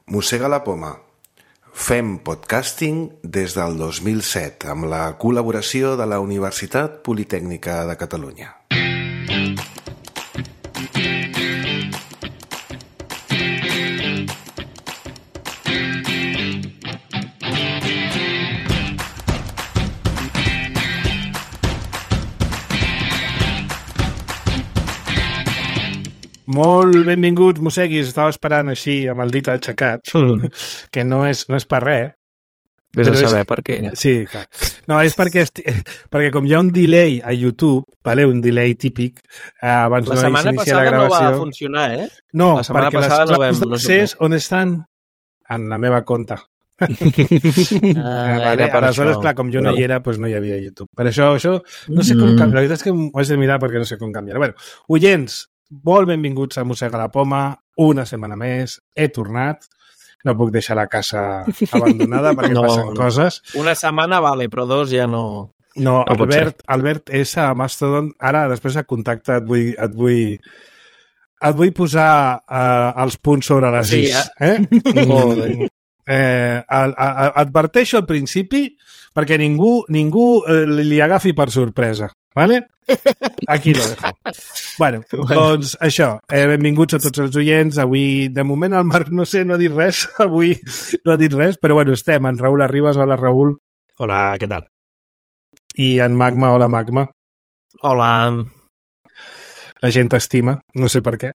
Mossega la poma. Fem podcasting des del 2007 amb la col·laboració de la Universitat Politècnica de Catalunya. Molt benvinguts, mosseguis. Estava esperant així, amb el dit aixecat, que no és per res. Vés a saber per què. Sí, clar. No, és perquè com hi ha un delay a YouTube, vale? Un delay típic, abans la setmana passada no va funcionar, eh? No, la setmana perquè passada les claus d'accés on estan? En la meva compte. Vale? Aleshores, clar, com jo no hi era, doncs no hi havia YouTube. Per això no sé com canviar. La veritat és que ho haig de mirar perquè no sé com canviar. Bueno, oients, molt benvinguts a Mossega la poma, una setmana més, he tornat, no puc deixar la casa abandonada perquè passen coses. Una setmana vale, però dos ja no... No, Albert és a Mastodon, ara després de contacte et vull posar els punts sobre les is. Adverteixo al principi perquè ningú li agafi per sorpresa. ¿Vale? Aquí lo dejo. Bueno, doncs això, benvinguts a tots els oients. Avui, de moment, el Marc no ha dit res. Avui no ha dit res, però bueno, estem en Raül Arribas. Hola, Raül. Hola, què tal? I en Magma. Hola, Magma. Hola. La gent t'estima, no sé per què.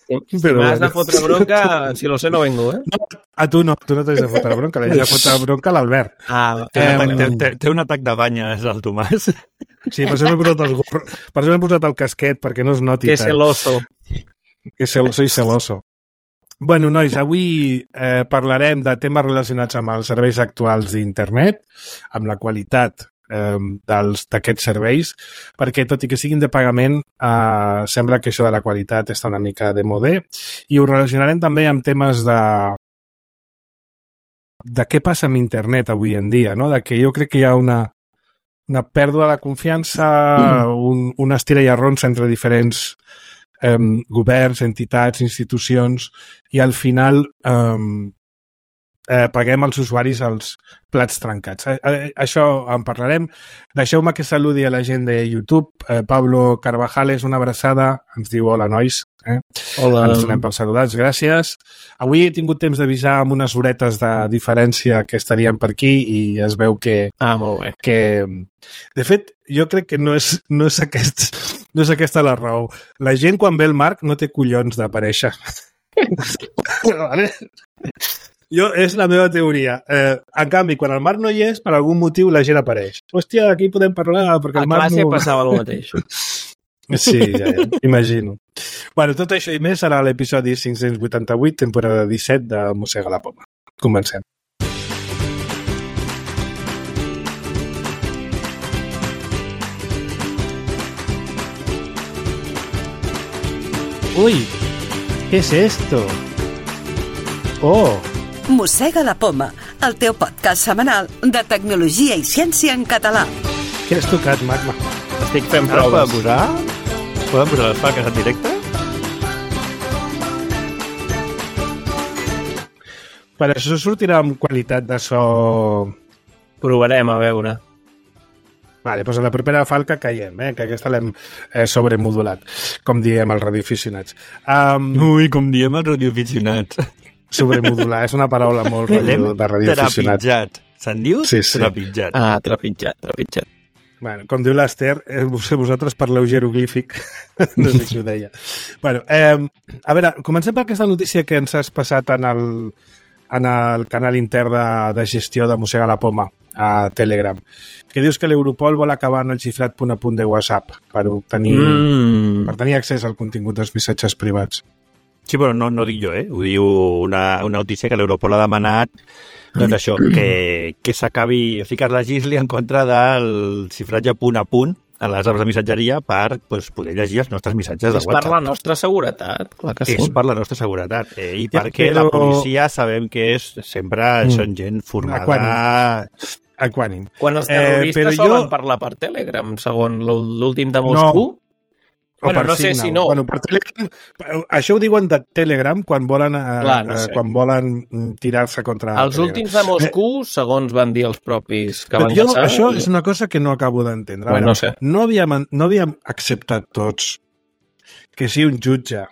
Si m'has de fotre bronca, si lo sé no vengo, eh? No, a tu no t'has de fotre bronca, l'he de fotre bronca a l'Albert. Té un atac de banyes al Tomàs. Sí, per això m'he posat el casquet, perquè no es noti. Que celoso. Que celoso i celoso. Bueno, nois, avui parlarem de temes relacionats amb els serveis actuals d'internet, amb la qualitat d'aquests serveis, perquè tot i que siguin de pagament sembla que això de la qualitat està una mica de modé, i ho relacionarem també amb temes de què passa amb internet avui en dia, no? De que jo crec que hi ha una pèrdua de confiança, un estira i arronsa entre diferents governs, entitats, institucions, i al final paguem als usuaris els plats trencats. Això en parlarem. Deixeu-me que saludi a la gent de YouTube. Pablo Carvajales, una abraçada. Ens diu hola, nois. Hola. Ens donem pels saludats, gràcies. Avui he tingut temps d'avisar amb unes horetes de diferència que estaríem per aquí i es veu que... molt bé. De fet, jo crec que no és aquesta la raó. La gent, quan ve el Marc, no té collons d'aparèixer. Vale? És la meva teoria. En canvi, quan el Marc no hi és, per algun motiu la gent apareix. Hòstia, aquí podem parlar perquè el Marc no... A classe passava el mateix. Sí, ja, imagino. Bueno, tot això i més serà l'episodi 588, temporada 17 de Mossega la poma. Comencem. Uy, ¿qué es esto? Oh! Mossega la poma, el teu podcast setmanal de tecnologia i ciència en català. Què has tocat, Magma? Estic fent proves. Podem posar les plaques en directe? Per això sortirà amb qualitat de so... Provarem, a veure. Vale, doncs a la propera falca caiem, que aquesta l'hem sobremodulat, com diem els radioaficionats. Ui, com diem els radioaficionats. Sobremodular, és una paraula molt de radioaficionat. Trepitjat. Se'n diu? Sí. Trepitjat. Trepitjat. Bueno, com diu l'Ester, vosaltres parleu jeroglífic. No sé si ho deia. Bueno, a veure, comencem per aquesta notícia que ens has passat en el canal intern de gestió de Mossega la poma a Telegram, que dius que l'Europol vol acabar en el xifrat punt a punt de WhatsApp per tenir accés al contingut dels missatges privats. Sí, però no dic jo, Ho diu una notícia que l'Europol ha demanat, doncs això, que s'acabi, o sigui, que es legisli en contra del xifratge punt a punt a les apps de missatgeria per poder llegir els nostres missatges de WhatsApp. És per la nostra seguretat, clar que sí. És per la nostra seguretat. I perquè la policia sabem que sempre són gent formada... Equànim. Quan els terroristes solen parlar per Telegram, segons l'últim de Moscou... O per no sé Signal. si no. Bueno, per Telegram, això ho diuen de Telegram quan volen, quan volen tirar-se contra Els últims de Moscou, segons van dir els propis que van passar... Això és una cosa que no acabo d'entendre. Bueno, no sé. No havíem acceptat tots que si un jutge,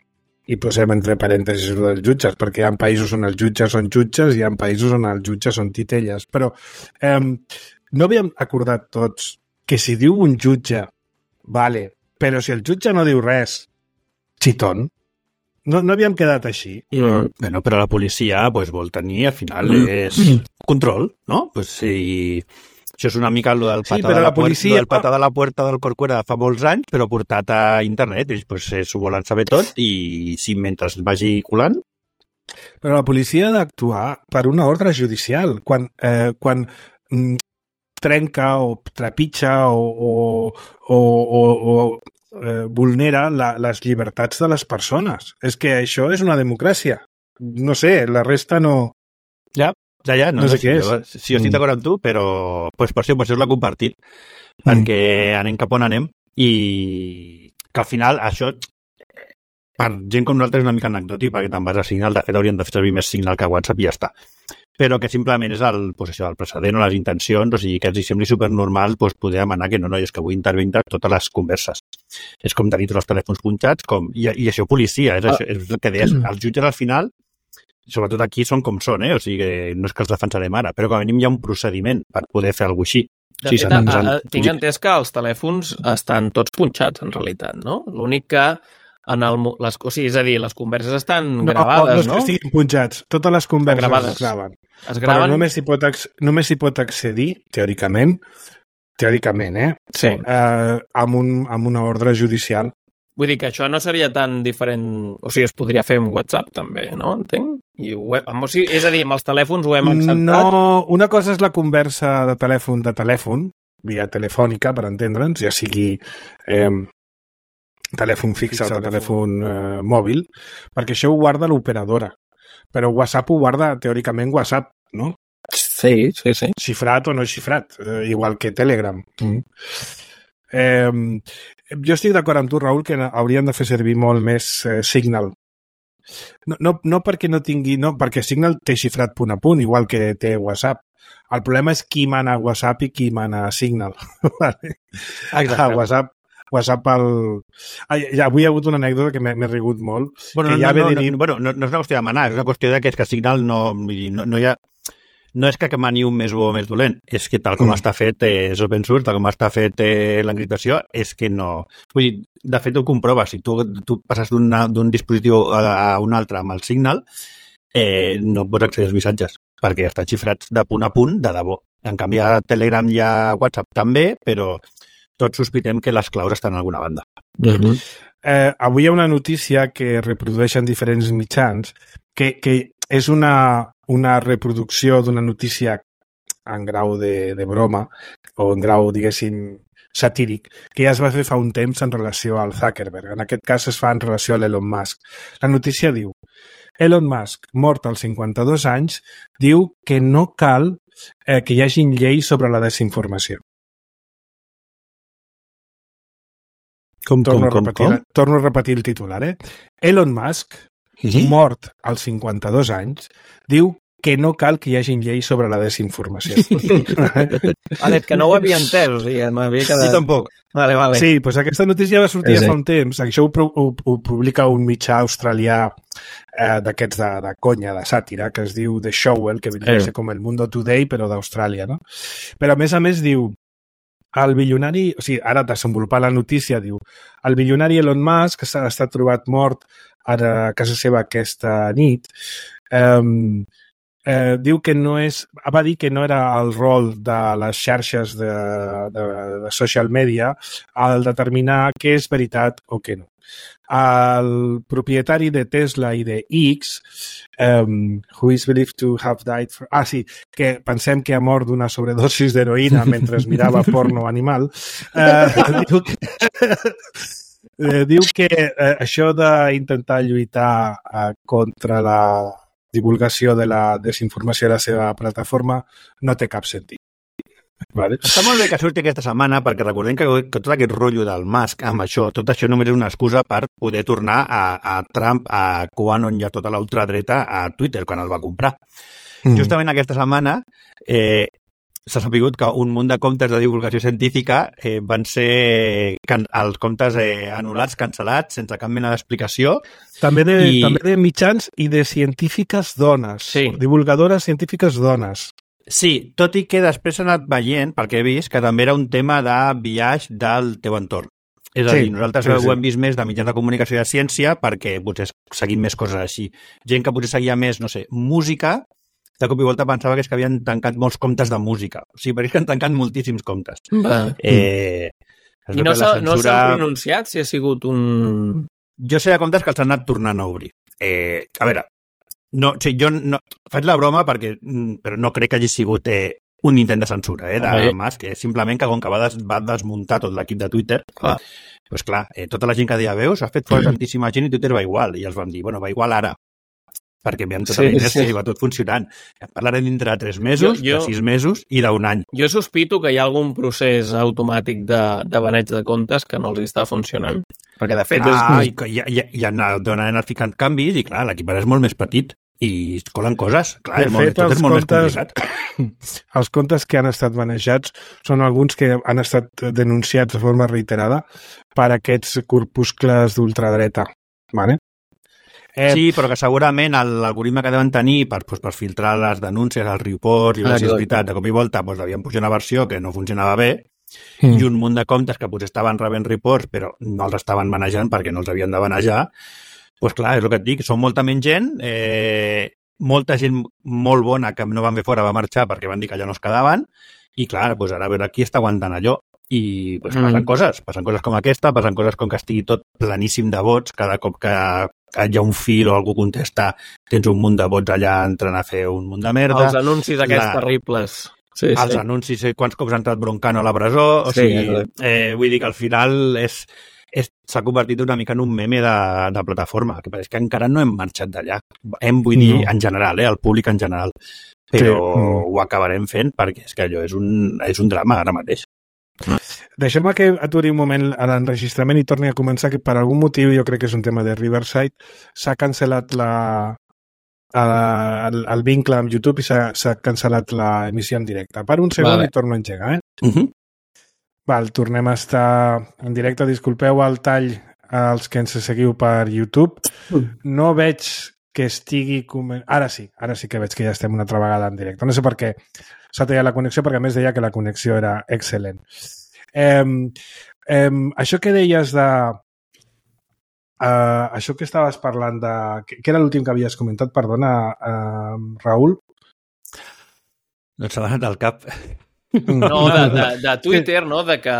i posem entre parèntesis dels jutges, perquè hi ha països on els jutges són jutges i hi ha països on els jutges són titelles, però no havíem acordat tots que si diu un jutge, vale, però si el jutge no diu res, xitón. No havíem quedat així. Bueno, però la policia vol tenir, al final, és control, no? Si això és una mica el del patà de la puerta del Corcuera fa molts anys, però portat a internet. Ells s'ho volen saber tot i si mentre es vagi colant... Però la policia ha d'actuar per una ordre judicial. Quan trenca o trepitja o vulnera les llibertats de les persones. És que això és una democràcia. No sé, la resta no... Ja, no sé què és. Si jo estic d'acord amb tu, però per això l'ha compartit, perquè anem cap on anem i que al final això, per gent com nosaltres, és una mica anecdòtic, perquè te'n vas a Signal, de fet haurien de fer servir més Signal que WhatsApp i ja està. Però que simplement és el precedent o les intencions, o sigui, que els sembli supernormal poder demanar que no, és que vull intervenir totes les converses. És com tenir tots els telèfons punxats, i això policia, és el que deies. Els jutges al final, sobretot aquí, són com són, o sigui, no és que els defensarem ara, però com a mínim hi ha un procediment per poder fer alguna cosa així. De fet, tinc entès que els telèfons estan tots punxats, en realitat, no? L'únic que és a dir, les converses estan gravades, no? No és que estiguin punxats. Totes les converses es graven. Però només s'hi pot accedir, teòricament, sí. Amb una ordre judicial. Vull dir que això no seria tan diferent... O sigui, es podria fer amb WhatsApp, també, no? Entenc? És a dir, amb els telèfons ho hem acceptat? No, una cosa és la conversa de telèfon, via telefònica, per entendre'ns, ja sigui... telèfon fix o telèfon mòbil, perquè això ho guarda l'operadora. Però WhatsApp ho guarda, teòricament, WhatsApp, no? Sí. Xifrat o no xifrat, igual que Telegram. Jo estic d'acord amb tu, Raül, que hauríem de fer servir molt més Signal. No perquè no tingui... No, perquè Signal té xifrat punt a punt, igual que té WhatsApp. El problema és qui mana WhatsApp i qui mana Signal. Exacte. WhatsApp avui hi ha hagut una anècdota que m'he rigut molt. No és una qüestió de manar, és una qüestió que Signal no hi ha... No és que mani un més bo o més dolent, és que tal com està fet és open source, tal com està fet l'encriptació, és que no... Vull dir, de fet ho comproves, si tu passes d'un dispositiu a un altre amb el Signal, no pots accedir als missatges, perquè estan xifrats de punt a punt, de debò. En canvi, a Telegram i a WhatsApp també, però tots sospitem que les claus estan en alguna banda. Avui hi ha una notícia que reprodueixen diferents mitjans que és una reproducció d'una notícia en grau de broma o en grau, diguéssim, satíric, que ja es va fer fa un temps en relació al Zuckerberg. En aquest cas es fa en relació a l'Elon Musk. La notícia diu: Elon Musk, mort als 52 anys, diu que no cal que hi hagin lleis sobre la desinformació. Torno a repetir el titular, Elon Musk, mort als 52 anys, diu que no cal que hi hagin lleis sobre la desinformació. Que no ho havia entès, o sigui, m'havia quedat... Sí, tampoc. Vale. Sí, doncs aquesta notícia va sortir fa un temps. Això ho publica un mitjà australià d'aquests de conya, de sàtira, que es diu The Shovel, que vindria a ser com el Mundo Today, però d'Austràlia, no? Però, a més, diu el bilionari, o sigui, ara desenvolupar la notícia, diu, el bilionari Elon Musk, que s'ha estat trobat mort a casa seva aquesta nit, diu que va dir que no era el rol de les xarxes de social media el determinar què és veritat o què no. El propietari de Tesla i de X, who is believed to have died que pensem que ha mort d'una sobredosis d'heroïna mentre es mirava porno animal, diu que això d'intentar lluitar contra la divulgació de la desinformació a la seva plataforma no té cap sentit. Vale. Està molt bé que surti aquesta setmana perquè recordem que tot aquest rotllo del Musk amb això, tot això només és una excusa per poder tornar a Trump, a QAnon i a tota l'ultradreta a Twitter quan el va comprar. Justament aquesta setmana s'ha sabut que un munt de comptes de divulgació científica van ser els comptes anul·lats, cancel·lats, sense cap mena d'explicació. També de mitjans i de científiques dones. Sí. Divulgadores científiques dones. Sí, tot i que després s'ha anat veient, pel que he vist, que també era un tema de biaix del teu entorn. És a dir, nosaltres ho hem vist més de mitjans de comunicació i de ciència perquè potser seguim més coses així. Gent que potser seguia més, no sé, música, de cop i volta pensava que és que havien tancat molts comptes de música. O sigui, perquè és que han tancat moltíssims comptes. I no s'han pronunciat si ha sigut un... Jo sé de comptes que els han anat tornant a obrir. A veure, no, sí, jo no, faig la broma però no crec que hagi sigut un intent de censura de Musk, simplement que com que va desmuntar tot l'equip de Twitter, doncs clar, tota la gent que deia veus, ha fet fora tantíssima gent i Twitter va igual, i els vam dir, bueno, va igual ara, perquè veiem tota la inèrcia i va tot funcionant. Parlarem dintre de 3 mesos, de 6 mesos i d'un any. Jo sospito que hi ha algun procés automàtic de baneig de comptes que no els està funcionant. Perquè, de fet... I han anat ficant canvis i, clar, l'equip ara és molt més petit i es colen coses. Clar, tot és molt més complicat. Els comptes que han estat manejats són alguns que han estat denunciats de forma reiterada per aquests corpuscles d'ultradreta. Vale? Sí, però que segurament l'algoritme que deuen tenir per filtrar les denúncies, els reports, i si és veritat, de cop i volta devien pujar una versió que no funcionava bé i un munt de comptes que potser estaven rebent reports però no els estaven manejant perquè no els havien de manejar. Doncs clar, és el que et dic, són molta menys gent, molta gent molt bona que no van fer fora va marxar perquè van dir que allà no es quedaven i clar, doncs ara a veure qui està aguantant allò. I doncs passen coses com aquesta, passen coses com que estigui tot planíssim de vots, cada cop que hi ha un fil o algú contesta tens un munt de vots allà entrant a fer un munt de merda. Els anuncis aquests terribles. Sí, els anuncis, quants cops ha entrat Broncano a la presó, o sigui, vull dir que al final s'ha convertit una mica en un meme de plataforma, que és que encara no hem marxat d'allà. Vull dir, en general, el públic en general. Però ho acabarem fent perquè és que allò és un drama ara mateix. Deixem que aturi un moment a l'enregistrament i torni a començar, que per algun motiu, jo crec que és un tema de Riverside, s'ha cancel·lat el vincle amb YouTube i s'ha cancel·lat l'emissió en directe. Per un segon i torno a engegar, Val, tornem a estar en directe. Disculpeu el tall als que ens seguiu per YouTube. No veig que estigui... Ara sí que veig que ja estem una altra vegada en directe. No sé per què s'ha tallat la connexió, perquè a més deia que la connexió era excel·lent. Això que deies de... això que estaves parlant de... Què era l'últim que havies comentat? Perdona, Raül? No s'ha donat al cap... No, de Twitter, no? De que...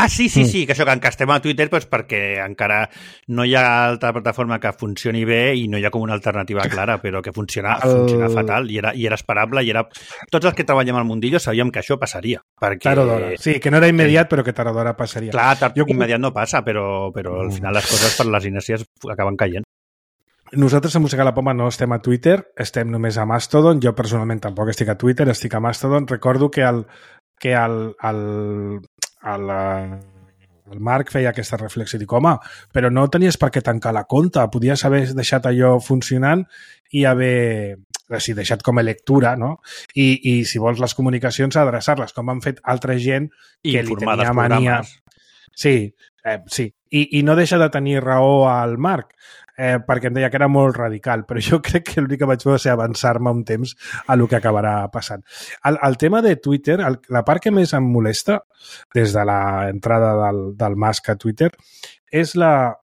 Sí, que això, que estem a Twitter doncs perquè encara no hi ha altra plataforma que funcioni bé i no hi ha com una alternativa clara, però que funciona fatal i era esperable i era... Tots els que treballem al mundillo sabíem que això passaria. Perquè... Tard o d'hora. Sí, que no era immediat, però que tard o d'hora passaria. Clar, immediat no passa, però al final les coses per les inèrcies acaben caient. Nosaltres a Mossegar la Poma no estem a Twitter, estem només a Mastodon. Jo personalment tampoc estic a Twitter, estic a Mastodon. Recordo que el Marc feia aquesta reflexió i dic, home, però no tenies per què tancar la compte, podies haver deixat allò funcionant i haver deixat com a lectura, no? I si vols les comunicacions, adreçar-les, com han fet altra gent que li tenia mania. Sí. I no deixa de tenir raó al Marc, perquè em deia que era molt radical, però jo crec que l'únic que vaig fer va ser avançar-me un temps a el que acabarà passant. El tema de Twitter, la part que més em molesta des de l'entrada del Musk a Twitter és la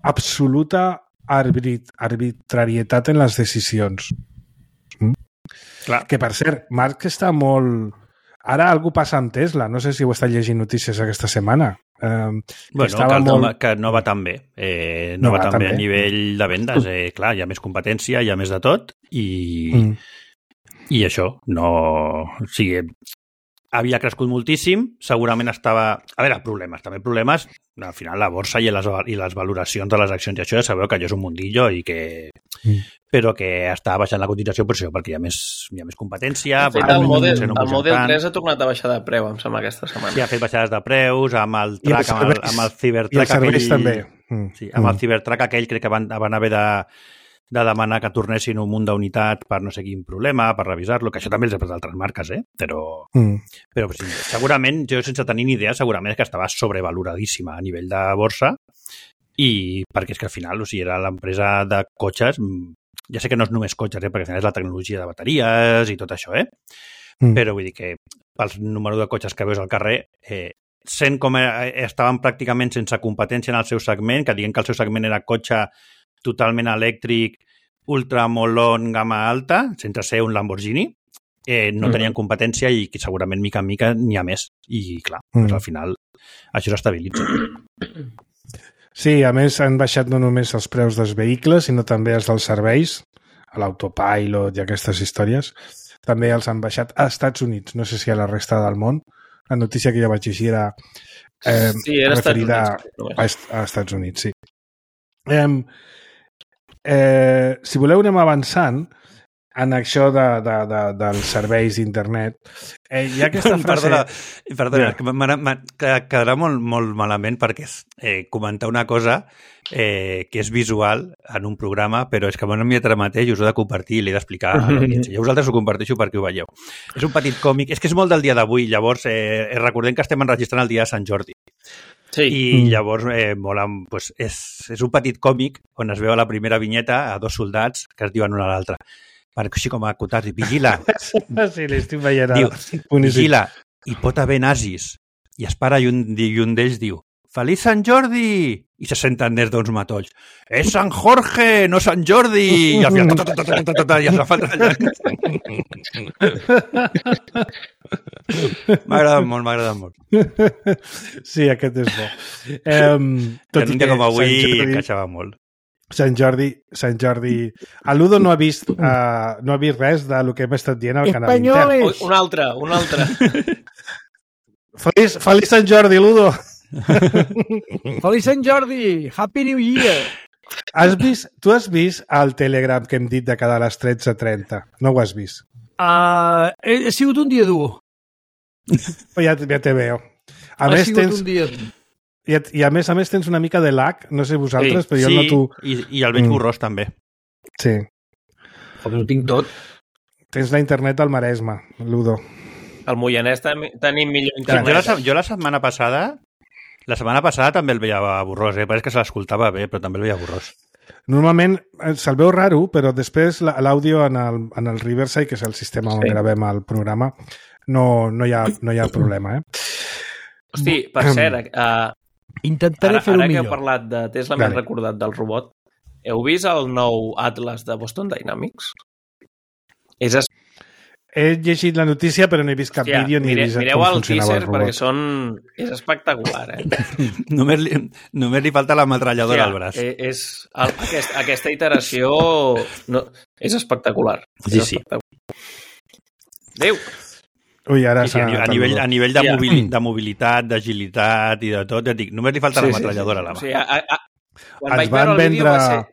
absoluta arbitrarietat en les decisions. Clar. Que, per cert, Marc està molt... Ara algú passa amb Tesla, no sé si ho està llegint notícies aquesta setmana. Que no va tan bé. No va tan bé a nivell de vendes. Clar, hi ha més competència, hi ha més de tot i això no... O sigui, havia crescut moltíssim, segurament estava... A veure, problemes, al final la borsa i les valoracions de les accions, i això ja sabeu que allò és un mundillo i que... però que està baixant la cotització per això, perquè hi ha més competència. De fet, el Model 3 ha tornat a baixar de preu, em sembla, aquesta setmana. Sí, ha fet baixades de preus, amb el track, amb el Cybertruck. I els serveis també. Sí, amb el Cybertruck aquell crec que van haver de demanar que tornessin un munt d'unitat per no sé quin problema, per revisar-lo, que això també els ha fet altres marques, però sí, segurament, jo sense tenir ni idea, segurament és que estava sobrevaloradíssima a nivell de borsa, i perquè és que al final, o sigui, era l'empresa de cotxes, ja sé que no és només cotxes, perquè al final és la tecnologia de bateries i tot això, però vull dir que pel número de cotxes que veus al carrer, sent com estaven pràcticament sense competència en el seu segment, que diguem que el seu segment era cotxe totalment elèctric, ultramolon, gamma alta, sense ser un Lamborghini, no tenien competència i que segurament mica en mica n'hi ha més. I clar, doncs al final això s'estabilitza. Sí, a més han baixat no només els preus dels vehicles, sinó també els dels serveis, l'autopilot i aquestes històries. També els han baixat a Estats Units, no sé si a la resta del món. La notícia que ja vaig llegir era, era referida a Estats Units, sí. Si voleu anem avançant en això dels serveis d'internet, hi ha aquesta frase... Perdona, que quedarà molt malament perquè és comentar una cosa que és visual en un programa, però és que m'ho he enviat ara mateix i us ho he de compartir i l'he d'explicar a l'audiència. Jo vosaltres ho comparteixo perquè ho veieu. És un petit còmic, és que és molt del dia d'avui, llavors recordem que estem enregistrant el dia de Sant Jordi. Sí. I llavors pues, és un petit còmic on es veu a la primera vinyeta a dos soldats que es diuen un a l'altre. Així com a acotar-hi, vigila. Sí, l'estic veient. Diu, vigila, hi pot haver nazis. I es para i un d'ells diu, Feliç Sant Jordi! I se senten des d'uns matolls. És Sant Jorge, no Sant Jordi! I al final... I es fa allà. M'ha agradat molt. Sí, aquest és bo. Tot un dia com avui encaixava molt. Sant Jordi... El Ludo no ha vist res del que hem estat dient al canal intern. Un altre. Feliç Sant Jordi, Ludo! Feliç Sant Jordi! Happy New Year! Tu has vist el Telegram que hem dit de cada les 13:30? No ho has vist? Ha sigut un dia dur. Ja te veo. A més, a més tens una mica de lag, no sé vosaltres, però jo el noto... I el veig borrós també. Sí. Però ho tinc tot. Tens la internet al Maresme, Ludo. Al Moianès tenim millor internet. Jo la setmana passada també el veia borrós, però és que se l'escoltava bé, però també el veia borrós. Normalment se'l veu raro, però després l'àudio en el Riverside, que és el sistema on gravem el programa, no hi ha problema, Hosti, per cert, intentaré fer-ho millor. Ara que he parlat de Tesla, m'he recordat del robot. Heu vist el nou Atlas de Boston Dynamics? He llegit la notícia, però no he vist cap vídeo ni he vist com funcionava el robot. Mireu el teaser perquè és espectacular, Només li falta l'ametralladora al braç. Aquesta iteració és espectacular. Sí. Adéu! Ui, ara a nivell de mobilitat, d'agilitat i de tot, ja dic, només li falta l'ametralladora a la mà. Quan vaig veure el vídeo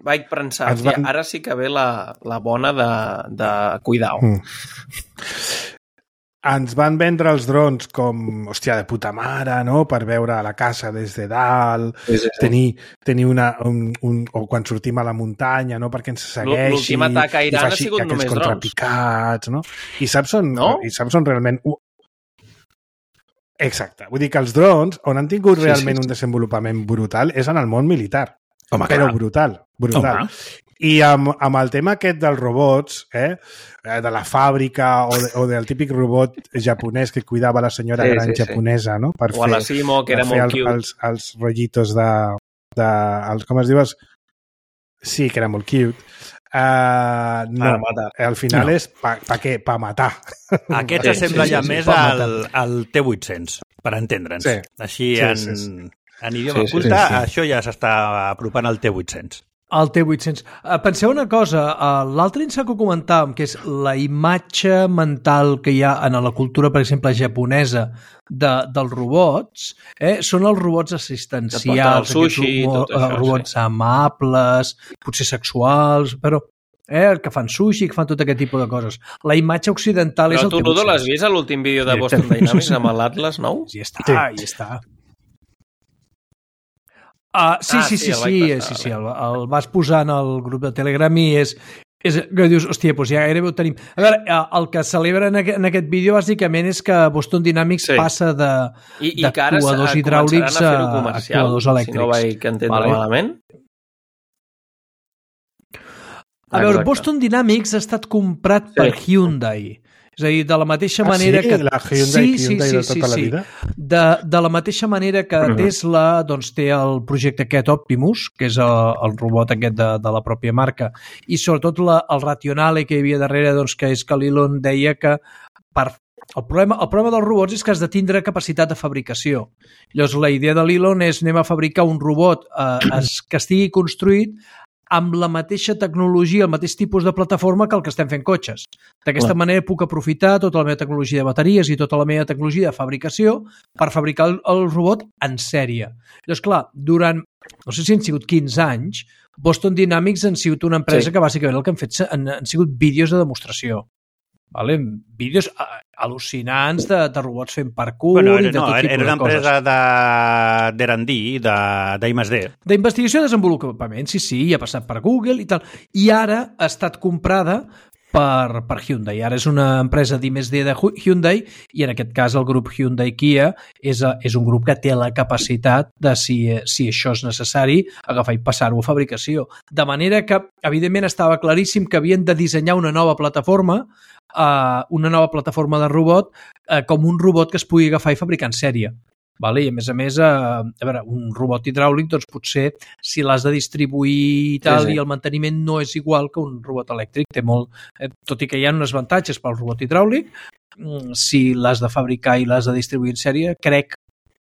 vaig pensar, ara sí que ve la bona de cuidar-ho. Ens van vendre els drons com, hòstia, de puta mare, no?, per veure la casa des de dalt, tenir o quan sortim a la muntanya, no?, perquè ens segueixi. L'últim atac a Iran ha sigut només drons. Contrapicats, no? I saps on realment... Exacte. Vull dir que els drons, on han tingut realment un desenvolupament brutal, és en el món militar. Home, però brutal. Home. I amb el tema aquest dels robots, de la fàbrica o del típic robot japonès que cuidava la senyora gran japonesa, no? Per o a la Simo, que era molt cute. Els rotllitos com es diu? Sí, que era molt cute. No, al final és pa què? Pa matar. Aquest s'assembla ja més al T800, per entendre'ns. Així en idioma culte, això ja s'està apropant al T800. El T800. Penseu una cosa, l'altre instant que comentàvem, que és la imatge mental que hi ha en la cultura, per exemple, japonesa dels robots, són els robots assistencials, sushi, robots amables, potser sexuals, però que fan sushi, que fan tot aquest tipus de coses. La imatge occidental és el T800. Però tu, Ludo, l'has vist a l'últim vídeo de Boston Dynamics amb l'Atlas nou? Ja està. Sí, el vas posar en el grup de Telegram i és que dius, hòstia, doncs ja gairebé ho tenim. A veure, el que celebra en aquest vídeo bàsicament és que Boston Dynamics passa d'actuadors hidràulics a actuadors elèctrics. Si no vaig entendre malament. A veure, Boston Dynamics ha estat comprat per Hyundai. És a dir, de la mateixa manera que... la Hyundai de tota la vida? De la mateixa manera que Tesla doncs, té el projecte aquest Optimus, que és el robot aquest de la pròpia marca, i sobretot el rationale que hi havia darrere, doncs, que és que l'Elon deia que el problema dels robots és que has de tindre capacitat de fabricació. Llavors, la idea de l'Elon és anem a fabricar un robot que estigui construït amb la mateixa tecnologia, el mateix tipus de plataforma que el que estem fent cotxes. D'aquesta manera puc aprofitar tota la meva tecnologia de bateries i tota la meva tecnologia de fabricació per fabricar el robot en sèrie. Llavors, clar, durant, no sé si han sigut 15 anys, Boston Dynamics han sigut una empresa que bàsicament el que han fet han sigut vídeos de demostració. Vale? Vídeos al·lucinants de robots fent parkour i de tot tipus de coses. Era una empresa d'R&D, d'I+D. D'investigació i desenvolupament, sí, i ha passat per Google i tal. I ara ha estat comprada per Hyundai. Ara és una empresa d'I+D de Hyundai i en aquest cas el grup Hyundai-Kia és un grup que té la capacitat de, si això és necessari, agafar i passar-ho a fabricació. De manera que, evidentment, estava claríssim que havien de dissenyar una nova plataforma de robot com un robot que es pugui agafar i fabricar en sèrie. Vale? I a més, a veure, un robot hidràulic, doncs potser si l'has de distribuir i tal, i el manteniment no és igual que un robot elèctric. Té molt, tot i que hi ha uns avantatges pel robot hidràulic, si l'has de fabricar i l'has de distribuir en sèrie, crec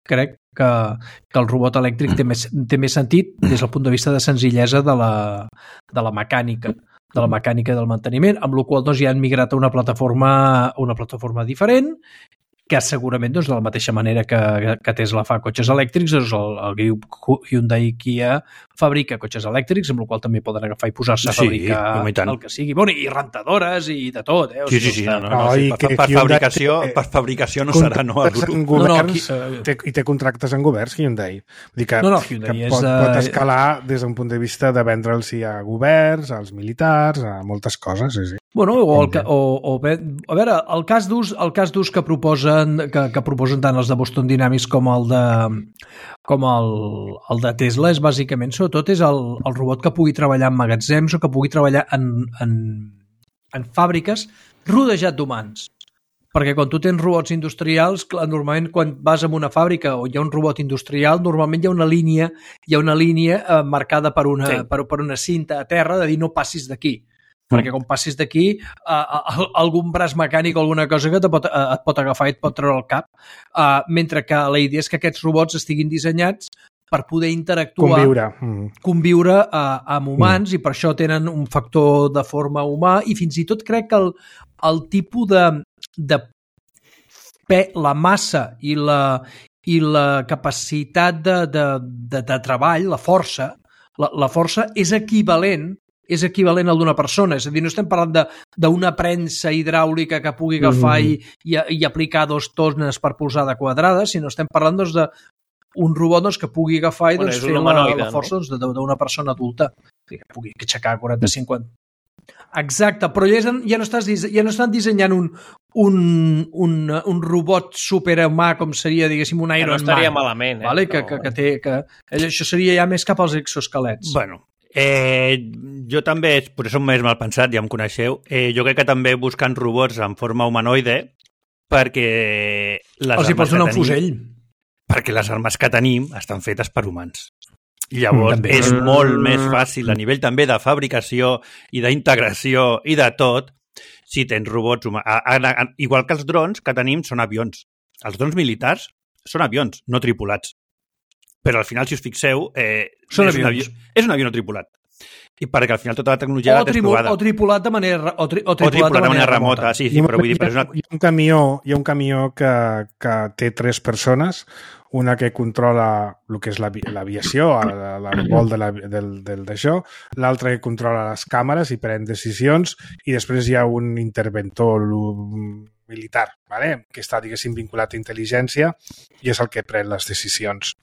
que el robot elèctric té més sentit des del punt de vista de senzillesa de la mecànica del manteniment, amb la qual cosa ja han migrat a una plataforma diferent, que segurament, doncs, de la mateixa manera que Tesla fa cotxes elèctrics, doncs el grup Hyundai i Kia fabrica cotxes elèctrics, amb el qual també poden agafar i posar-se a fabricar el que sigui. Bueno, i rentadores i de tot. Sí. Per fabricació no serà, no? I té contractes en governs, Hyundai. Vull dir que pot escalar des d'un punt de vista de vendre'ls a governs, als militars, a moltes coses, sí. Bueno, a veure, el cas d'ús que proposen tant els de Boston Dynamics com el de Tesla és bàsicament, sobretot, és el robot que pugui treballar en magatzems o que pugui treballar en fàbriques rodejat d'humans. Perquè quan tu tens robots industrials, normalment quan vas a una fàbrica o hi ha un robot industrial, normalment hi ha una línia marcada per una cinta a terra de dir no passis d'aquí. Perquè quan passis d'aquí, algun braç mecànic o alguna cosa que et pot agafar i et pot treure el cap. Mentre que la idea és que aquests robots estiguin dissenyats per poder interactuar, conviure amb humans, i per això tenen un factor de forma humà, i fins i tot crec que el tipus de la massa i la capacitat de treball, la força és equivalent al d'una persona. És a dir, no estem parlant d'una premsa hidràulica que pugui agafar i aplicar 2 tones per polzada quadrada, sinó estem parlant d'un robot que pugui agafar i fer la força d'una persona adulta, que pugui aixecar 40-50. Exacte, però ja no estan dissenyant un robot superhumà com seria, diguéssim, un Iron Man. No estaria malament. Vale? Que això seria ja més cap als exoesquelets. Bueno, jo també, potser som més mal pensat, ja em coneixeu, jo crec que també buscant robots en forma humanoide perquè els hi pots donar un fusell. Perquè les armes que tenim estan fetes per humans. Llavors és molt més fàcil a nivell també de fabricació i d'integració i de tot si tens robots humans. Igual que els drons que tenim són avions. Els drons militars són avions, no tripulats. Però al final, si us fixeu, és un avió no tripulat. i perquè al final tota la tecnologia la tens provada. O tripulat de manera remota. Sí, però vull dir... Hi ha un camió que té 3 persones, una que controla el que és l'aviació, el vol d'això, l'altra que controla les càmeres i pren decisions, i després hi ha un interventor militar, ¿vale? Que està, diguéssim, vinculat a intel·ligència i és el que pren les decisions.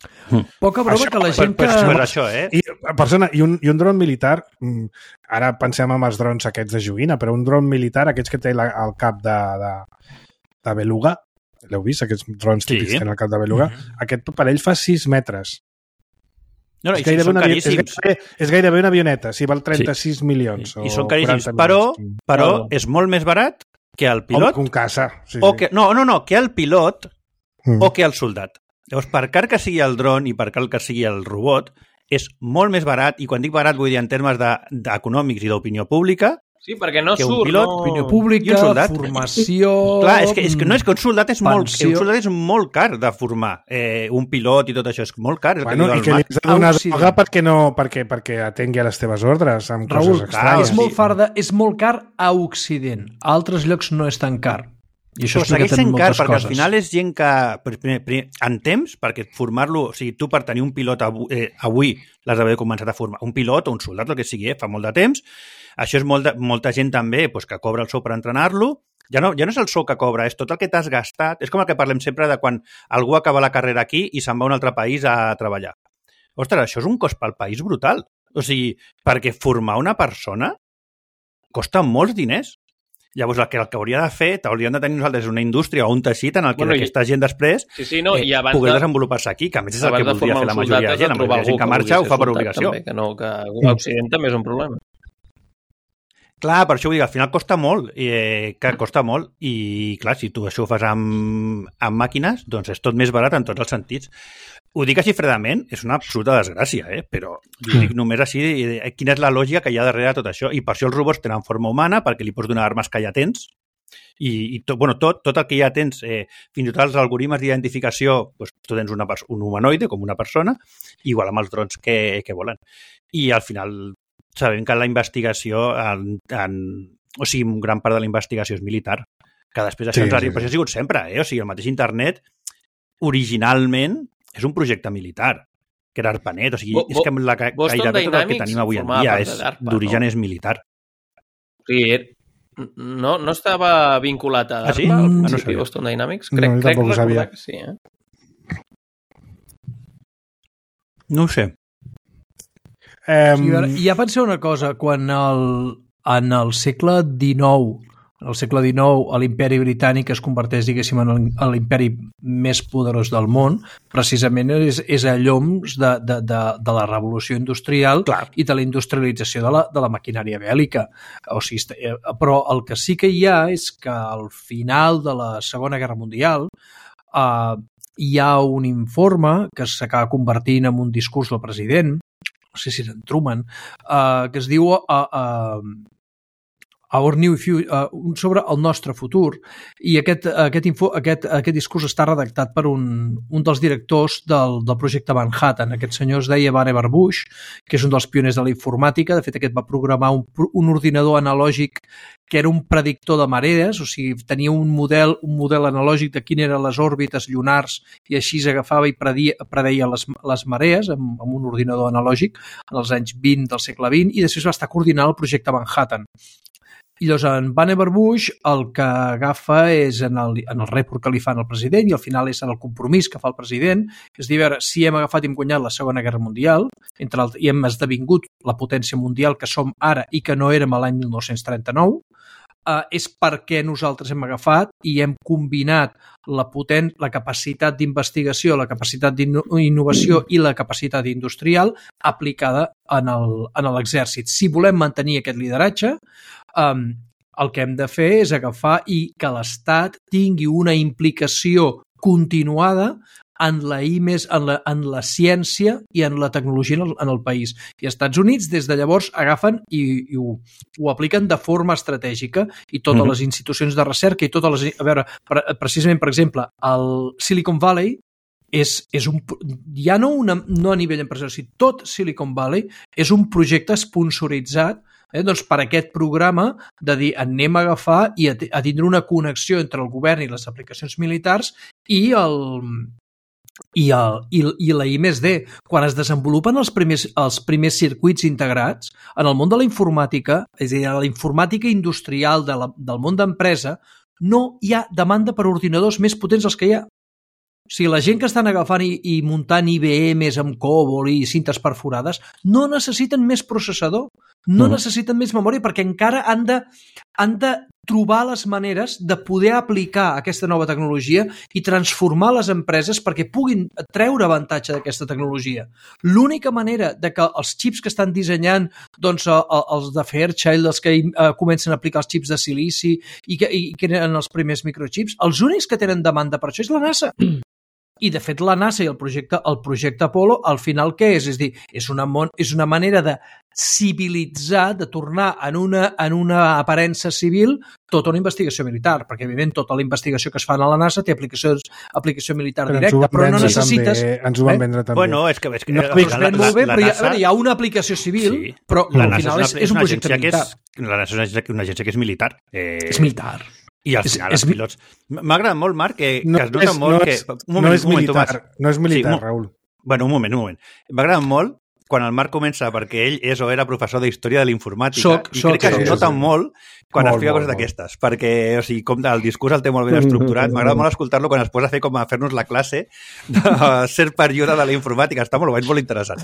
Poca broma que la gent que... I un dron militar, ara pensem en els drons aquests de joguina, però un dron militar, aquests que té al cap de beluga, l'heu vist, aquests drons típics que tenen al cap de beluga? Aquest parell fa 6 metres. No, i són caríssims. És gairebé una avioneta, si val 36 milions. I són caríssims, però és molt més barat que el pilot... O un caça. No, que el pilot o que el soldat. Llavors, per car que sigui el dron i per car que sigui el robot, és molt més barat, i quan dic barat vull dir en termes econòmics i d'opinió pública, sí, perquè no que un surt, pilot, opinió pública, formació... Clar, és que un soldat és molt car de formar. Un pilot i tot això és molt car. Bueno, i que li has de donar droga perquè atengui a les teves ordres amb coses estranyes. És molt car a Occident. A altres llocs no és tan car. I això segueix sent car, perquè al final és gent que, en temps, perquè formar-lo, o sigui, tu per tenir un pilot avui l'has d'haver començat a formar. Un pilot o un soldat, el que sigui, fa molt de temps. Això és molta gent també que cobra el sou per entrenar-lo. Ja no és el sou que cobra, és tot el que t'has gastat. És com el que parlem sempre de quan algú acaba la carrera aquí i se'n va a un altre país a treballar. Ostres, això és un cost pel país brutal. O sigui, perquè formar una persona costa molts diners. Llavors, el que hauria de fer, hauríem de tenir nosaltres una indústria o un teixit en el que aquesta gent després pogués desenvolupar-se aquí, que a més és el que voldria fer la majoria de gent. La majoria de gent que marxa ho fa per obligació. També, que a Occident també és un problema. Clar, per això vull dir, al final costa molt, i clar, si tu això ho fas amb màquines, doncs és tot més barat en tots els sentits. Ho dic així fredament, és una absoluta desgràcia, però ho dic només així, quina és la lògica que hi ha darrere de tot això, i per això els robots tenen forma humana, perquè li pots donar armes que ja tens, i tot el que ja tens, fins i tot els algoritmes d'identificació, doncs tu tens un humanoide, com una persona, igual amb els drons que volen. I al final sabem que la investigació, o sigui, gran part de la investigació és militar, que després això però això ha sigut sempre, o sigui, el mateix internet, originalment, és un projecte militar, que era ARPANET, o sigui, és que gairebé tot el que tenim avui en dia d'origen és militar. O sigui, no estava vinculat a DARPA, al principi, Boston Dynamics? Crec recordar que sí, No ho sé. Ja penseu una cosa, quan en el segle XIX, l'imperi britànic es converteix, diguéssim, en l'imperi més poderós del món, precisament és a lloms de la revolució industrial i de la industrialització de la maquinària bèl·lica. O sigui, però el que sí que hi ha és que al final de la Segona Guerra Mundial hi ha un informe que s'acaba convertint en un discurs del president, no sé si és en Truman, que es diu Our New Future, sobre el nostre futur, i aquest discurs està redactat per un dels directors del projecte Manhattan. Aquest senyor es deia Vannevar Bush, que és un dels pioners de la informàtica. De fet, aquest va programar un ordinador analògic que era un predictor de marees, o sigui, tenia un model analògic de quines eren les òrbites lunars i així s'agafava i predeia les marees amb un ordinador analògic en els anys 20 del segle XX, i després va estar coordinant el projecte Manhattan. I llavors en Vannevar Bush el que agafa és en el report que li fan al president, i al final és en el compromís que fa el president, és dir, a veure, si hem agafat i hem guanyat la Segona Guerra Mundial, i hem esdevingut la potència mundial que som ara i que no érem a l'any 1939, és perquè nosaltres hem agafat i hem combinat la capacitat d'investigació, la capacitat d'innovació i la capacitat industrial aplicada en l'exèrcit. Si volem mantenir aquest lideratge, el que hem de fer és agafar i que l'Estat tingui una implicació continuada en la ciència i en la tecnologia en el país. I als Estats Units, des de llavors, agafen i ho apliquen de forma estratègica, i totes les institucions de recerca i totes les... A veure, precisament, per exemple, el Silicon Valley ja no a nivell empresarial, sinó tot Silicon Valley és un projecte sponsoritzat doncs per aquest programa de dir anem a agafar i a tindre una connexió entre el govern i les aplicacions militars i la I+D. Quan es desenvolupen els primers circuits integrats, en el món de la informàtica, és a dir, la informàtica industrial del món d'empresa, no hi ha demanda per ordinadors més potents dels que hi ha. O sigui, la gent que estan agafant i muntant IBMs amb COBOL i cintes perforades no necessiten més processador, no necessiten més memòria perquè encara han de trobar les maneres de poder aplicar aquesta nova tecnologia i transformar les empreses perquè puguin treure avantatge d'aquesta tecnologia. L'única manera de que els xips que estan dissenyant, doncs els de Fairchild, els que comencen a aplicar els xips de silici i que eren els primers microchips, els únics que tenen demanda per això és la NASA. I, de fet, la NASA i el projecte Apollo, al final, què és? És a dir, és una manera de civilitzar, de tornar en una aparença civil tota una investigació militar, perquè, evidentment, tota la investigació que es fa a la NASA té aplicació militar directa, però no necessites... Ens ho van vendre també. Bueno, és que no, molt bé, però hi ha una aplicació civil, sí, però al final és un projecte militar. La NASA és una agència que és militar. És militar. I al final els pilots... M'ha agradat molt, Marc, que es nota molt que... No és militar, Raül. Bueno, un moment. M'ha agradat molt quan el Marc comença, perquè ell és o era professor d'història de la informàtica, i crec que es nota molt quan explica coses d'aquestes, perquè, o sigui, com el discurs el té molt ben estructurat. M'agrada molt escoltar-lo quan es posa a fer com a fer-nos la classe de ser període de la informàtica. Està molt interessant.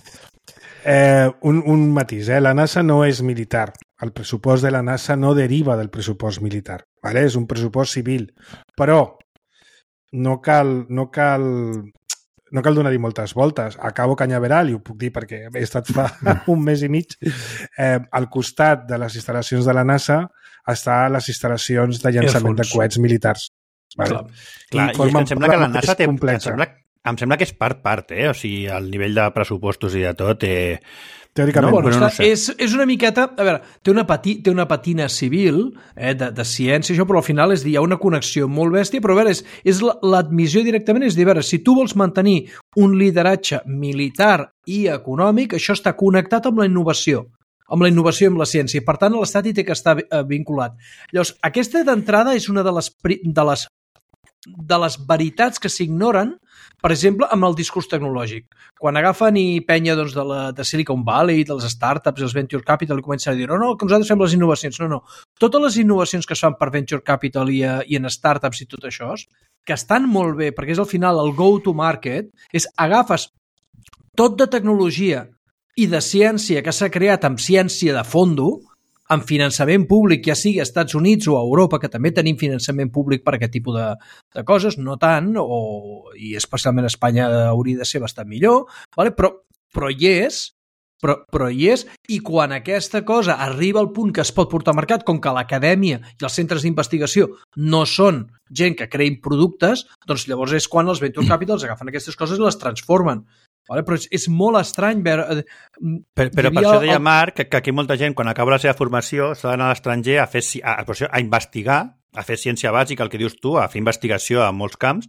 Un matís, la NASA no és militar. El pressupost de la NASA no deriva del pressupost militar. ¿Vale? És un pressupost civil. Però no cal donar-hi moltes voltes. A Cabo Cañaveral, i ho puc dir perquè he estat fa un mes i mig, al costat de les instal·lacions de la NASA està les instal·lacions de llançament de coets militars. Vale? Clar, i em sembla que la NASA té... Em sembla que és part, O sigui, al nivell de pressupostos i de tot... Teòricament. No, bueno, no sé. És una miqueta... A veure, té una patina civil de ciència, això, però al final hi ha una connexió molt bèstia, però a veure, és l'admissió directament, és dir, a veure, si tu vols mantenir un lideratge militar i econòmic, això està connectat amb la innovació i amb la ciència. Per tant, l'Estat hi té que estar vinculat. Llavors, aquesta d'entrada és una de les veritats que s'ignoren, per exemple, amb el discurs tecnològic. Quan agafen i penya de Silicon Valley, dels startups, els Venture Capital, i comencen a dir, no, que nosaltres fem les innovacions. No. Totes les innovacions que es fan per Venture Capital i en startups i tot això, que estan molt bé, perquè és al final el go-to-market, és agafes tot de tecnologia i de ciència que s'ha creat amb ciència de fondo, amb finançament públic, ja sigui als Estats Units o a Europa, que també tenim finançament públic per aquest tipus de coses, no tant, i especialment a Espanya hauria de ser bastant millor, vale? Però hi és, i quan aquesta cosa arriba al punt que es pot portar al mercat, com que l'acadèmia i els centres d'investigació no són gent que creïn productes, doncs llavors és quan els Venture Capitals agafen aquestes coses i les transformen. Vale, però és molt estrany veure... Però per això deia Marc que aquí molta gent, quan acaba la seva formació, s'ha d'anar a l'estranger a investigar, a fer ciència bàsica, el que dius tu, a fer investigació a molts camps,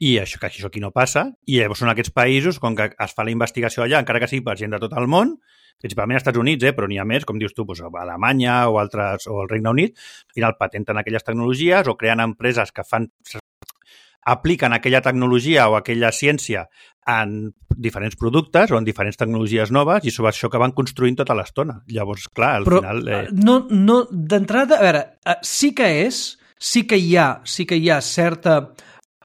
i això aquí no passa, i llavors són aquests països, com que es fa la investigació allà, encara que sigui per gent de tot el món, principalment als Estats Units, però n'hi ha més, com dius tu, a Alemanya o el Regne Unit, al final patenten aquelles tecnologies o creen empreses que apliquen aquella tecnologia o aquella ciència en diferents productes o en diferents tecnologies noves, i sobre això que van construint tota l'estona. Llavors, clar, al final... No, d'entrada, a veure, sí que hi ha certa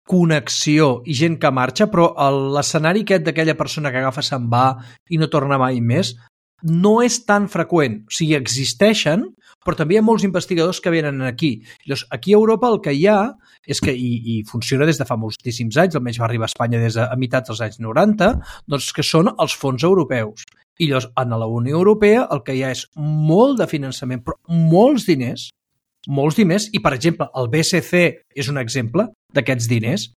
connexió i gent que marxa, però l'escenari aquest d'aquella persona que agafa, se'n va i no torna mai més, no és tan freqüent. O sigui, existeixen, però també hi ha molts investigadors que venen aquí. Llavors, aquí a Europa el que hi ha és que, i funciona des de fa moltíssims anys, almenys va arribar a Espanya des de meitats dels anys 90, doncs que són els fons europeus. I llavors, en la Unió Europea el que hi ha és molt de finançament, però molts diners, i per exemple, el BSC és un exemple d'aquests diners,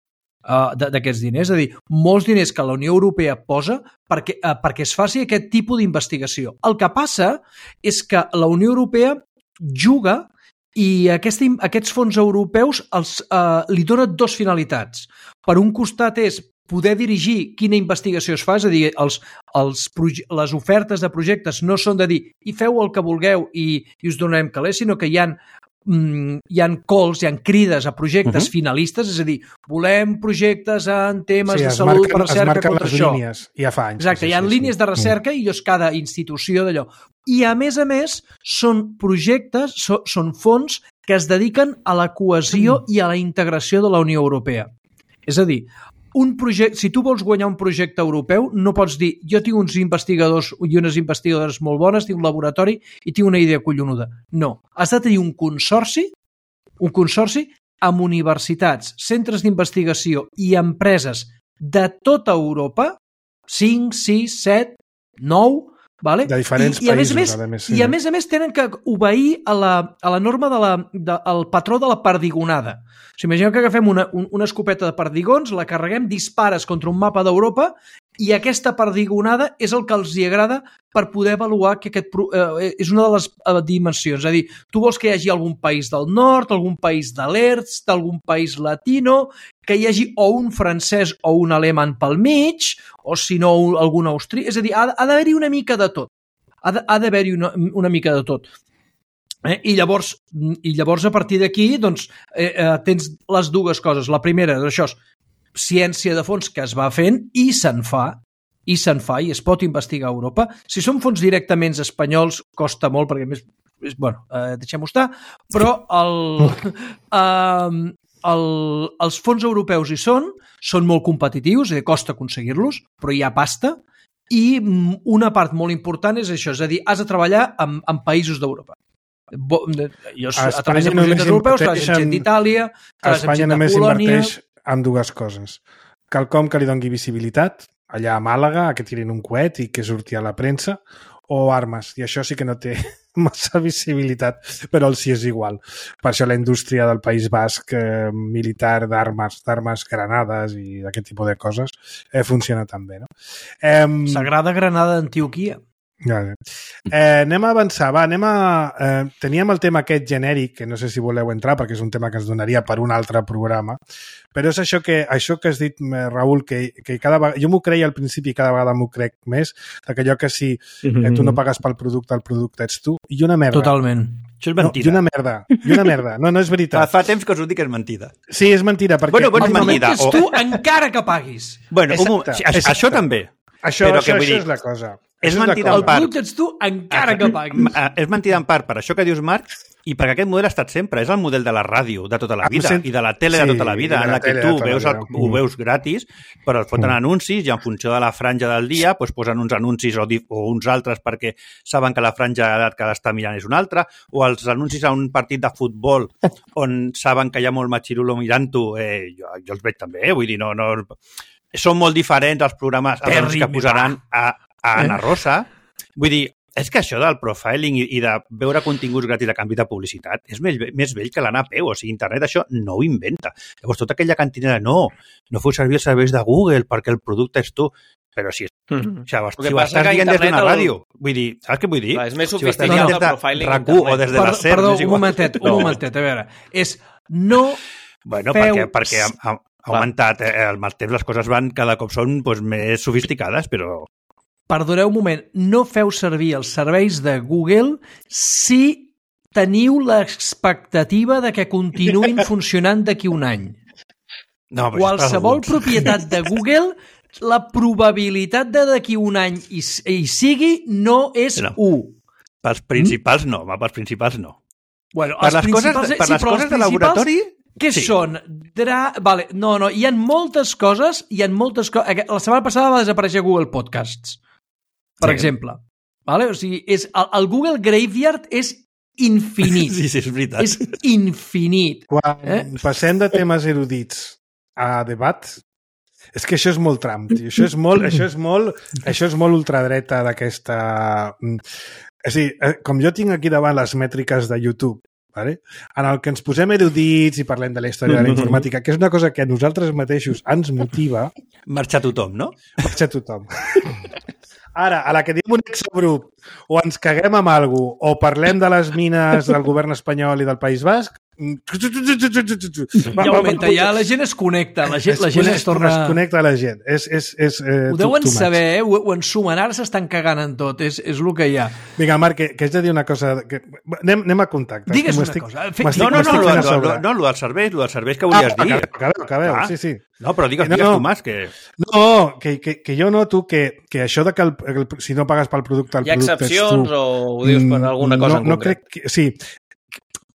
és a dir, molts diners que la Unió Europea posa perquè es faci aquest tipus d'investigació. El que passa és que la Unió Europea juga i aquests fons europeus li donen dues finalitats. Per un costat és poder dirigir quina investigació es fa, és a dir, les ofertes de projectes no són de dir i feu el que vulgueu i us donarem calés, sinó que hi ha calls, hi ha crides a projectes finalistes, és a dir, volem projectes en temes de salut, recerca, contra això. Línies, ja fa anys. Exacte, hi ha línies de recerca i llavors cada institució d'allò. I a més, són projectes, són fons que es dediquen a la cohesió i a la integració de la Unió Europea. És a dir, si tu vols guanyar un projecte europeu, no pots dir jo tinc uns investigadors i unes investigadores molt bones, tinc un laboratori i tinc una idea collonuda. No, has de tenir un consorci amb universitats, centres d'investigació i empreses de tota Europa, 5, 6, 7, 9, vale? De diferents països, I a més tenen que obeir a la norma del patró de la perdigonada. O sigui, imagineu que agafem una escopeta de perdigons, la carreguem, dispares contra un mapa d'Europa i aquesta perdigonada és el que els agrada per poder avaluar que és una de les dimensions. És a dir, tu vols que hi hagi algun país del nord, algun país de l'est, algun país latino, que hi hagi o un francès o un alemany pel mig, o si no algun austríac. És a dir, ha d'haver-hi una mica de tot. Ha d'haver-hi una mica de tot. I llavors a partir d'aquí doncs, tens les dues coses. La primera és això, ciència de fons que es va fent i se'n fa i es pot investigar a Europa. Si són fons directament espanyols costa molt perquè més, deixem-ho estar, però els fons europeus hi són molt competitius, costa aconseguir-los, però hi ha pasta i una part molt important és això, és a dir, has de treballar en països d'Europa. A través de projectes europeus, treballes amb gent d'Itàlia, treballes amb gent de Polònia... Espanya només inverteix en dues coses. Quelcom que li doni visibilitat, allà a Màlaga, que tirin un coet i que surti a la premsa, o armes, i això sí que no té massa visibilitat, però els sí és igual. Per això la indústria del País Basc militar d'armes, granades i d'aquest tipus de coses funciona tan bé, no? Sagrada Granada d'Antioquia. Anem a avançar, teníem el tema aquest genèric, que no sé si voleu entrar perquè és un tema que ens donaria per un altre programa, però és això que has dit, Raül, que cada vegada, jo m'ho creia al principi i cada vegada m'ho crec més, que allò que si tu no pagues pel producte, el producte ets tu, i una merda. Totalment. Això és mentida. I una merda. No és veritat. Fa temps que us ho dic que és mentida. Sí, és mentida, perquè... El moment ets tu encara que paguis. Bueno, això també. Això és la cosa. És mentida en part. El producte ets tu encara que paguis. És mentida en part per això que dius, Marc, i perquè aquest model ha estat sempre. És el model de la ràdio de tota la vida i de la tele de tota la vida, en la que tu ho veus gratis, però et foten anuncis i en funció de la franja del dia posen uns anuncis o uns altres perquè saben que la franja d'edat que l'està mirant és una altra, o els anuncis a un partit de futbol on saben que hi ha molt matxirulo mirant-ho, jo els veig també, vull dir, no... Són molt diferents els programes que posaran a Ana Rosa. Vull dir, és que això del profiling i de veure continguts gratis a canvi de publicitat és més vell que l'anar a peu. O sigui, internet això no ho inventa. Llavors, tota aquella cantinera, no feu servir els serveis de Google perquè el producte és tu. Però si ho estàs dient des d'una ràdio, vull dir, saps què vull dir? És més sofisticat el profiling RAC1 o des de la SER. Perdó, un momentet, a veure. És no feu... Perquè ha augmentat el mal temps, les coses cada cop són més sofisticades, però... Perdoneu un moment, no feu servir els serveis de Google si teniu l'expectativa de que continuïn funcionant d'aquí un any. No, qualsevol propietat de Google, la probabilitat de d'aquí un any hi sigui no és 1. Pels principals no, pels principals no. Bueno, per les coses de laboratori... Què són? Vale, no, hi ha moltes coses, La setmana passada va desaparèixer Google Podcasts, per exemple. Vale? O sigui, el Google Graveyard és infinit. Sí, és veritat. És infinit. Quan passem de temes erudits a debat, és que això és molt Trump, tio. Això és molt ultradreta d'aquesta... És a dir, com jo tinc aquí davant les mètriques de YouTube, vale? En el que ens posem erudits i parlem de la història de la informàtica, que és una cosa que a nosaltres mateixos ens motiva... Marxa tothom, no? Marxa tothom. Ara, a la que diem un exabrup o ens caguem amb alguna cosa, o parlem de les mines del govern espanyol i del País Basc, Ja augmenta, ja la gent es connecta, la gent es torna... Es connecta la gent. Ho deuen saber, ho ensumen, ara s'estan cagant en tot, és el que hi ha. Vinga, Marc, que haig de dir una cosa... Anem a contactes. Digues una cosa. No, el dels serveis que volies dir. Acabeu, sí. No, però digues tu, Mas, que... No, que jo noto que això de que si no pagues pel producte... Hi ha excepcions o ho dius per alguna cosa en concret? No crec que... Sí,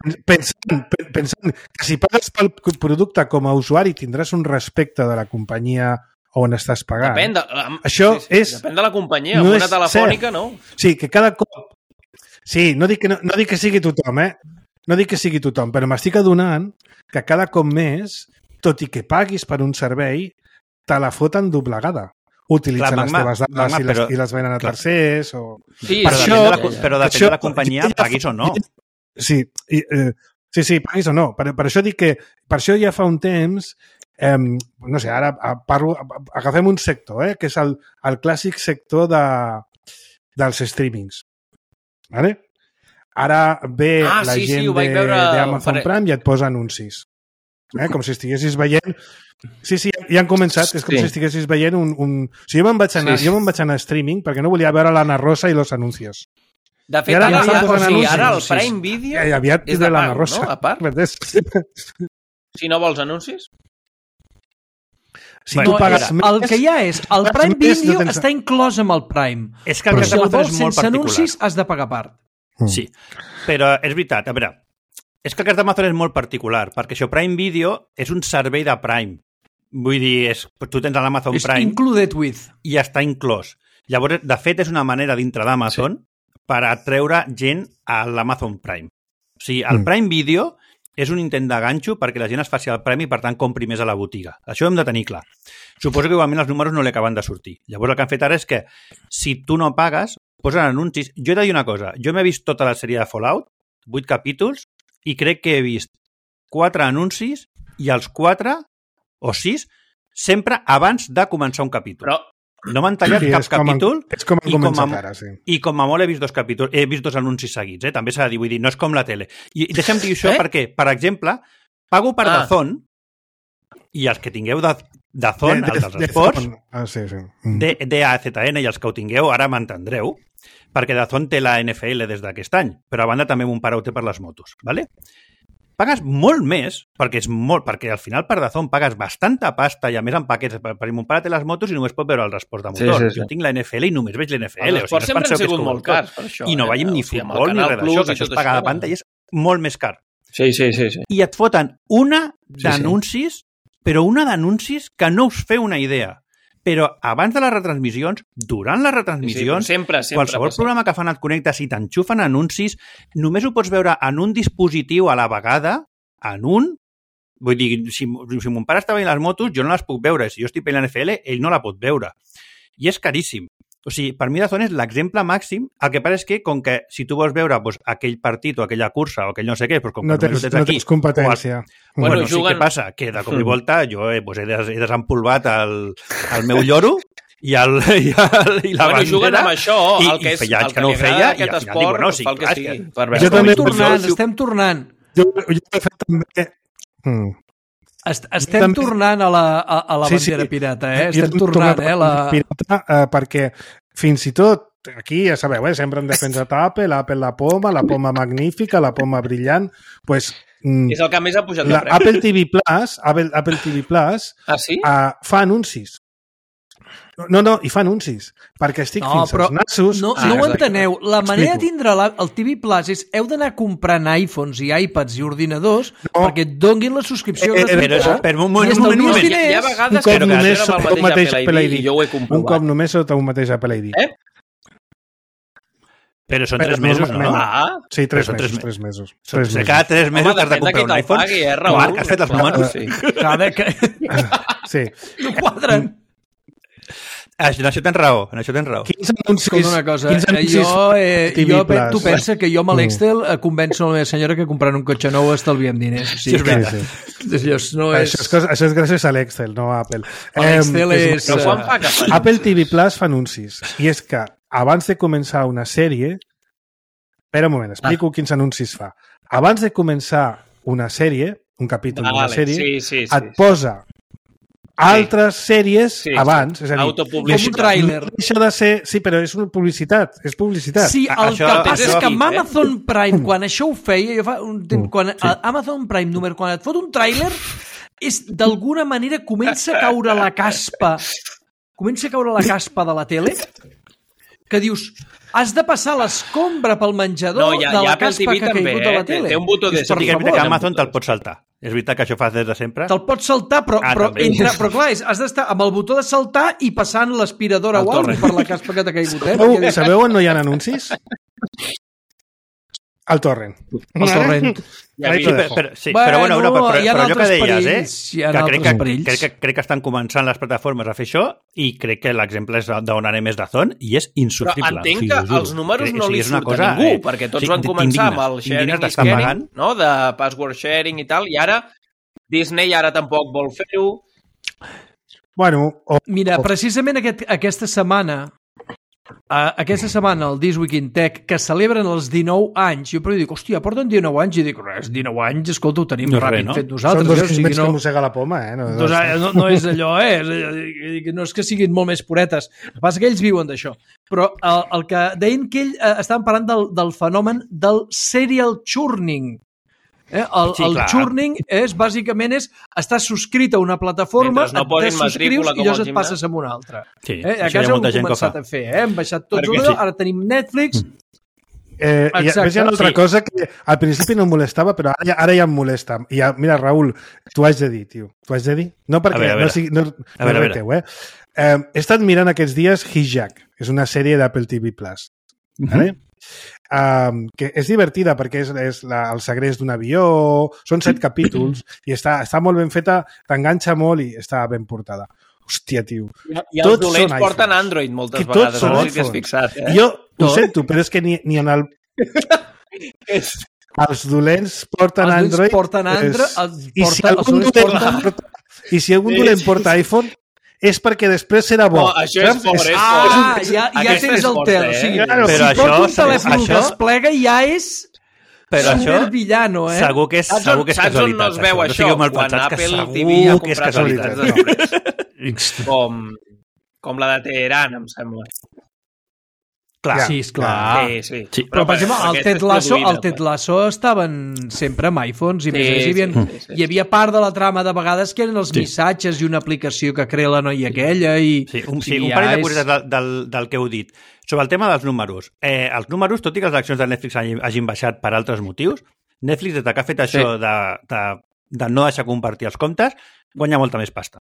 pensant que si pagues pel producte com a usuari tindràs un respecte de la companyia on estàs pagant. Depèn de la companyia, no una telefònica no. Sí, que cada cop... Sí, no dic que sigui tothom, No dic que sigui tothom, però m'estic adonant que cada cop més, tot i que paguis per un servei, te la foten doblegada. Utilitzen les teves dades i les venen a tercers o... Sí, però depèn de la companyia, paguis o no. Sí, paguis o no. Per això dic que... Per això ja fa un temps... no sé, ara agafem un sector, que és el clàssic sector dels streamings. Vale? Ara ve la gent d'Amazon Prime i et posa anuncis. Com si estiguessis veient... Sí, ja han començat. És com si estiguessis veient un... O sigui, jo me'n vaig anar a streaming perquè no volia veure l'Anna Rosa i los anuncios. De fet, ara el Prime Video és de pago, no? A part. Si no vols anuncis? Si tu pagues més... El que hi ha és, el Prime Video està inclòs amb el Prime. És que el cas d'Amazon és molt particular. Sense anuncis has de pagar a part. Sí, però és veritat. A veure, és que el cas d'Amazon és molt particular, perquè això Prime Video és un servei de Prime. Vull dir, tu tens l'Amazon Prime... És included with. I està inclòs. Llavors, de fet, és una manera dintre d'Amazon per atreure gent a l'Amazon Prime. O sigui, el Prime Video és un intent de ganxo perquè la gent es faci el Prime i, per tant, compri més a la botiga. Això ho hem de tenir clar. Suposo que igualment els números no li acaben de sortir. Llavors, el que han fet ara és que, si tu no pagues, posen anuncis. Jo he de dir una cosa. Jo m'he vist tota la sèrie de Fallout, 8 capítols, i crec que he vist 4 anuncis i els 4 o 6 sempre abans de començar un capítol. Però no m'han tallat cap capítol i com a molt he vist 2 capítols, he vist 2 anuncis seguits, també s'ha de dir, vull dir, no és com la tele. I deixa'm dir això perquè, per exemple, pago per DAZN i els que tingueu DAZN, els dels esports, DAZN, i els que ho tingueu ara m'entendreu, perquè DAZN té la NFL des d'aquest any, però a banda també mon pare ho té per les motos, ¿vale? Pagues molt més, perquè al final per DAZN pagues bastanta pasta i a més en paquets, perquè mon pare té les motos i només pot veure els esports de motor. Jo tinc la NFL i només veig l'NFL. Els esports sempre han sigut molt cars, per això. I no veiem ni futbol ni res d'això, que això es paga de panta i és molt més car. Sí. I et foten una d'anuncis, però una d'anuncis que no us feu una idea. Però abans de les retransmissions, durant les retransmissions, sempre qualsevol programa que fan et connectes i t'enxufen anuncis, només ho pots veure en un dispositiu a la vegada, Vull dir, si mon pare està veient les motos, jo no les puc veure. Si jo estic veient l'NFL, ell no la pot veure. I és caríssim. O sigui, per mi DAZN és l'exemple màxim. El que passa és que, com que si tu vols veure aquell partit o aquella cursa o aquell no sé què, com que no tens competència. Bueno, sí que passa que de cop i volta jo he desempolvat el meu lloro i la bandera. Juguen amb això, el que és el que no ho feia, i al final dic, bueno, sí, clar, estem tornant. Jo he fet també... Estem tornant a la bandera pirata, Estem tornant, pirata, perquè fins i tot, aquí ja sabeu, sempre hem defensat Apple la poma magnífica, la poma brillant, pues... És el que més ha pujat de preu. Apple TV Plus fa anuncis. No, i fa anuncis, perquè estic fins als nassos... No ho enteneu. La manera de tindre el TV Plus és heu d'anar comprant iPhones i iPads i ordinadors perquè et donguin la subscripció gratuïta. Però un moment. Hi ha vegades que només sota el mateix Apple ID, jo ho he comprovat. Un cop només sota un mateix Apple ID. Però són 3 mesos, no? Sí, 3 mesos. Cada 3 mesos has de comprar un iPhone. Marc, has fet els números? Sí. No quadren. En això tens raó. Quins anuncis? Escolta una cosa, tu pensa que jo amb l'Excel convenço la meva senyora que comprant un cotxe nou estalviem diners. Sí, és veritat. Això és gràcies a l'Excel, no a Apple. L'Excel és... Apple TV Plus fa anuncis. I és que abans de començar una sèrie... Espera un moment, explico quins anuncis fa. Abans de començar una sèrie, un capítol d'una sèrie, sí. et posa altres sèries abans. És a dir, com un tràiler. Deixa de ser... Sí, però és una publicitat. És publicitat. Sí, el que passa és que amb Amazon Prime, quan això ho feia, jo fa un temps, quan Amazon Prime número, quan et fot un tràiler, és d'alguna manera comença a caure la caspa de la tele, que dius, has de passar l'escombra pel menjador de la caspa que ha caigut a la tele. Té un botó de... És veritat que Amazon te'l pot saltar. És veritat que això fa des de sempre. Te'l pots saltar, però clar, has d'estar amb el botó de saltar i passant l'aspiradora o alguna per la caspa que t'ha caigut. Sabeu on no hi ha anuncis? Al torrent. Al torrent. Però allò que deies, crec que estan començant les plataformes a fer això i crec que l'exemple és d'on anem és d'Azon i és insufrible. Però entenc que els números no li surten a ningú, perquè tots van començar amb el sharing i scanning, de password sharing i tal, i ara Disney tampoc vol fer-ho. Mira, precisament aquesta setmana, el This Week in Tech, que celebren els 19 anys, jo però dic, hòstia, porten 19 anys, i dic, res, 19 anys, escolta, ho tenim ràpid fet nosaltres. Són 2 quilòmetres que mossega la poma, No és allò, no és que siguin molt més puretes, el que passa que ells viuen d'això. Però el que deien que estaven parlant del fenomen del serial churning. El churning bàsicament és estar subscrit a una plataforma, et subscrius i llavors et passes a una altra. A casa ho hem començat a fer, hem baixat tots allò, ara tenim Netflix. Hi ha una altra cosa que al principi no em molestava, però ara ja em molesta. Mira, Raül, t'ho haig de dir, tio. T'ho haig de dir? No perquè no reteu, he estat mirant aquests dies Hijack, és una sèrie d'Apple TV+. Vale? Que és divertida perquè és el segrest d'un avió, són 7 capítols i està molt ben feta, t'enganxa molt i està ben portada. Hòstia, tio. I els dolents porten Android moltes vegades, no sé si t'has fixat. Jo ho sento, però és que ni en el... Els dolents porten Android. I si algun dolent porta iPhone, és perquè després serà bo. Això és fort, ja tens el tel. Si porta un telèfon que es plega, ja és supervillano, Segur que és casualitat. Saps on no es veu això? Quan Apple TV ha comprat unitats de nombres. Com la de Teheran, em sembla. Clar. Sí, esclar. Sí. Però, per exemple, el Ted Lasso estaven sempre amb iPhones i més hi havia part de la trama de vegades que eren els missatges i una aplicació que crea la noia aquella i... Un parell de curiositats del que heu dit. Sobre el tema dels números. Els números, tot i que les accions de Netflix hagin baixat per altres motius, Netflix, des que ha fet això de no deixar compartir els comptes, guanya molta més pasta.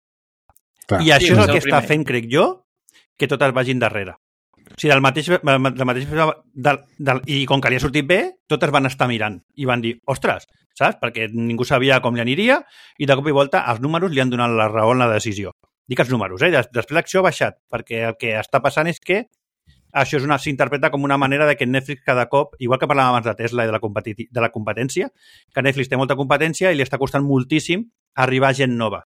I això és el que està fent, crec jo, que totes vagin darrere. O sigui, i com que li ha sortit bé, totes van estar mirant i van dir, ostres, saps? Perquè ningú sabia com li aniria i de cop i volta els números li han donat la raó en la decisió. Dic els números, després l'acció ha baixat, perquè el que està passant és que això s'interpreta com una manera de que Netflix cada cop, igual que parlàvem abans de Tesla i de la competència, que Netflix té molta competència i li està costant moltíssim arribar gent nova.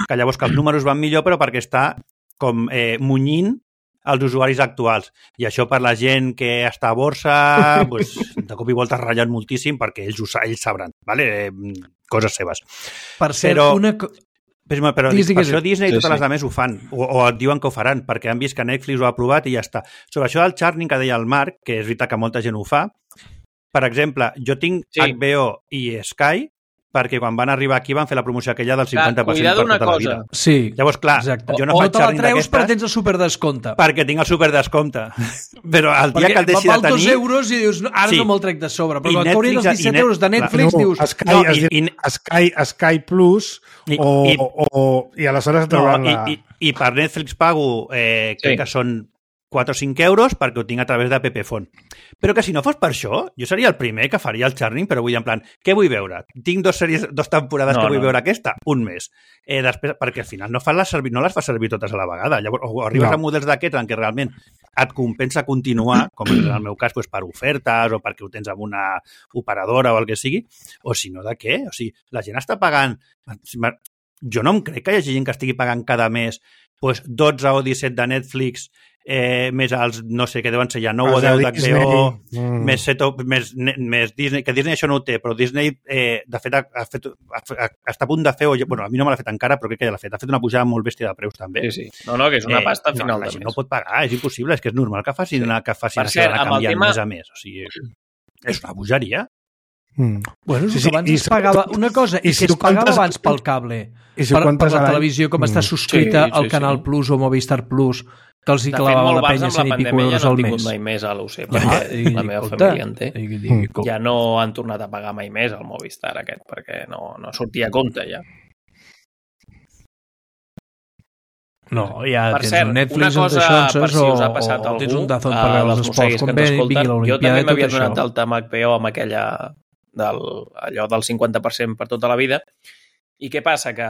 Que llavors que els números van millor, però perquè està com munyint els usuaris actuals. I això per la gent que està a borsa, pues, de cop i volta es ratllen moltíssim perquè ells sabran, ¿vale? Coses seves. Per cert, però per això Disney i totes les altres ho fan, o et diuen que ho faran, perquè han vist que Netflix ho ha aprovat i ja està. Sobre això del churning que deia el Marc, que és veritat que molta gent ho fa, per exemple, jo tinc HBO i Sky, perquè quan van arribar aquí van fer la promoció aquella del 50% per tota la vida. Sí, llavors, clar, jo no faig xarning d'aquestes... O te la treus perquè tens el superdescompte. Perquè tinc el superdescote. Però el dia que el deixi de tenir... Val 2 euros i dius, ara no me'l trec de sobre. Però quan t'haurien els 17 euros de Netflix, dius... Sky Plus i aleshores trauran la... I per Netflix pago, crec que són 4 o 5 euros perquè ho tinc a través de Pepefon. Però que si no fos per això, jo seria el primer que faria el churning, però vull en plan, què vull veure? Tinc 2 temporades que vull veure aquesta? Un mes. Després, perquè al final no les fas servir totes a la vegada. Llavors, o arribes a models d'aquests en què realment et compensa continuar, com en el meu cas, doncs, per ofertes o perquè ho tens amb una operadora o el que sigui, o si no, de què? O sigui, la gent està pagant... jo no em crec que hi hagi gent que estigui pagant cada mes pues, 12 o 17 de Netflix, més els, no sé, que deuen ser ja 9 o 10 d'HBO, més Disney, que Disney això no ho té, però Disney, de fet, està a punt de fer, bueno, a mi no me l'ha fet encara, però crec que ja l'ha fet una pujada molt bèstia de preus, també. Sí. No, que és una pasta al final de mes. No pot pagar, és impossible, és que és normal que facin això d'anar canviant mes a mes. O sigui, és una bogeria. Bueno, sí, abans es pagava una cosa i que es pagava abans pel cable, per la televisió, com està subscrita al Canal Plus o Movistar Plus, que els hi clavava la penya 100 i pico euros al mes. De fet, molt bars amb la pandèmia ja no han tingut mai més a l'UC, perquè la meva família en té. Ja no han tornat a pagar mai més al Movistar aquest, perquè no sortia a compte ja. No, ja per cert, una cosa per si us ha passat a algú, tens un Dazón per veure els esports, com bé vingui l'Olimpiada, jo també m'havia donat d'alta amb HBO amb aquella allò del 50% per tota la vida. I què passa? Que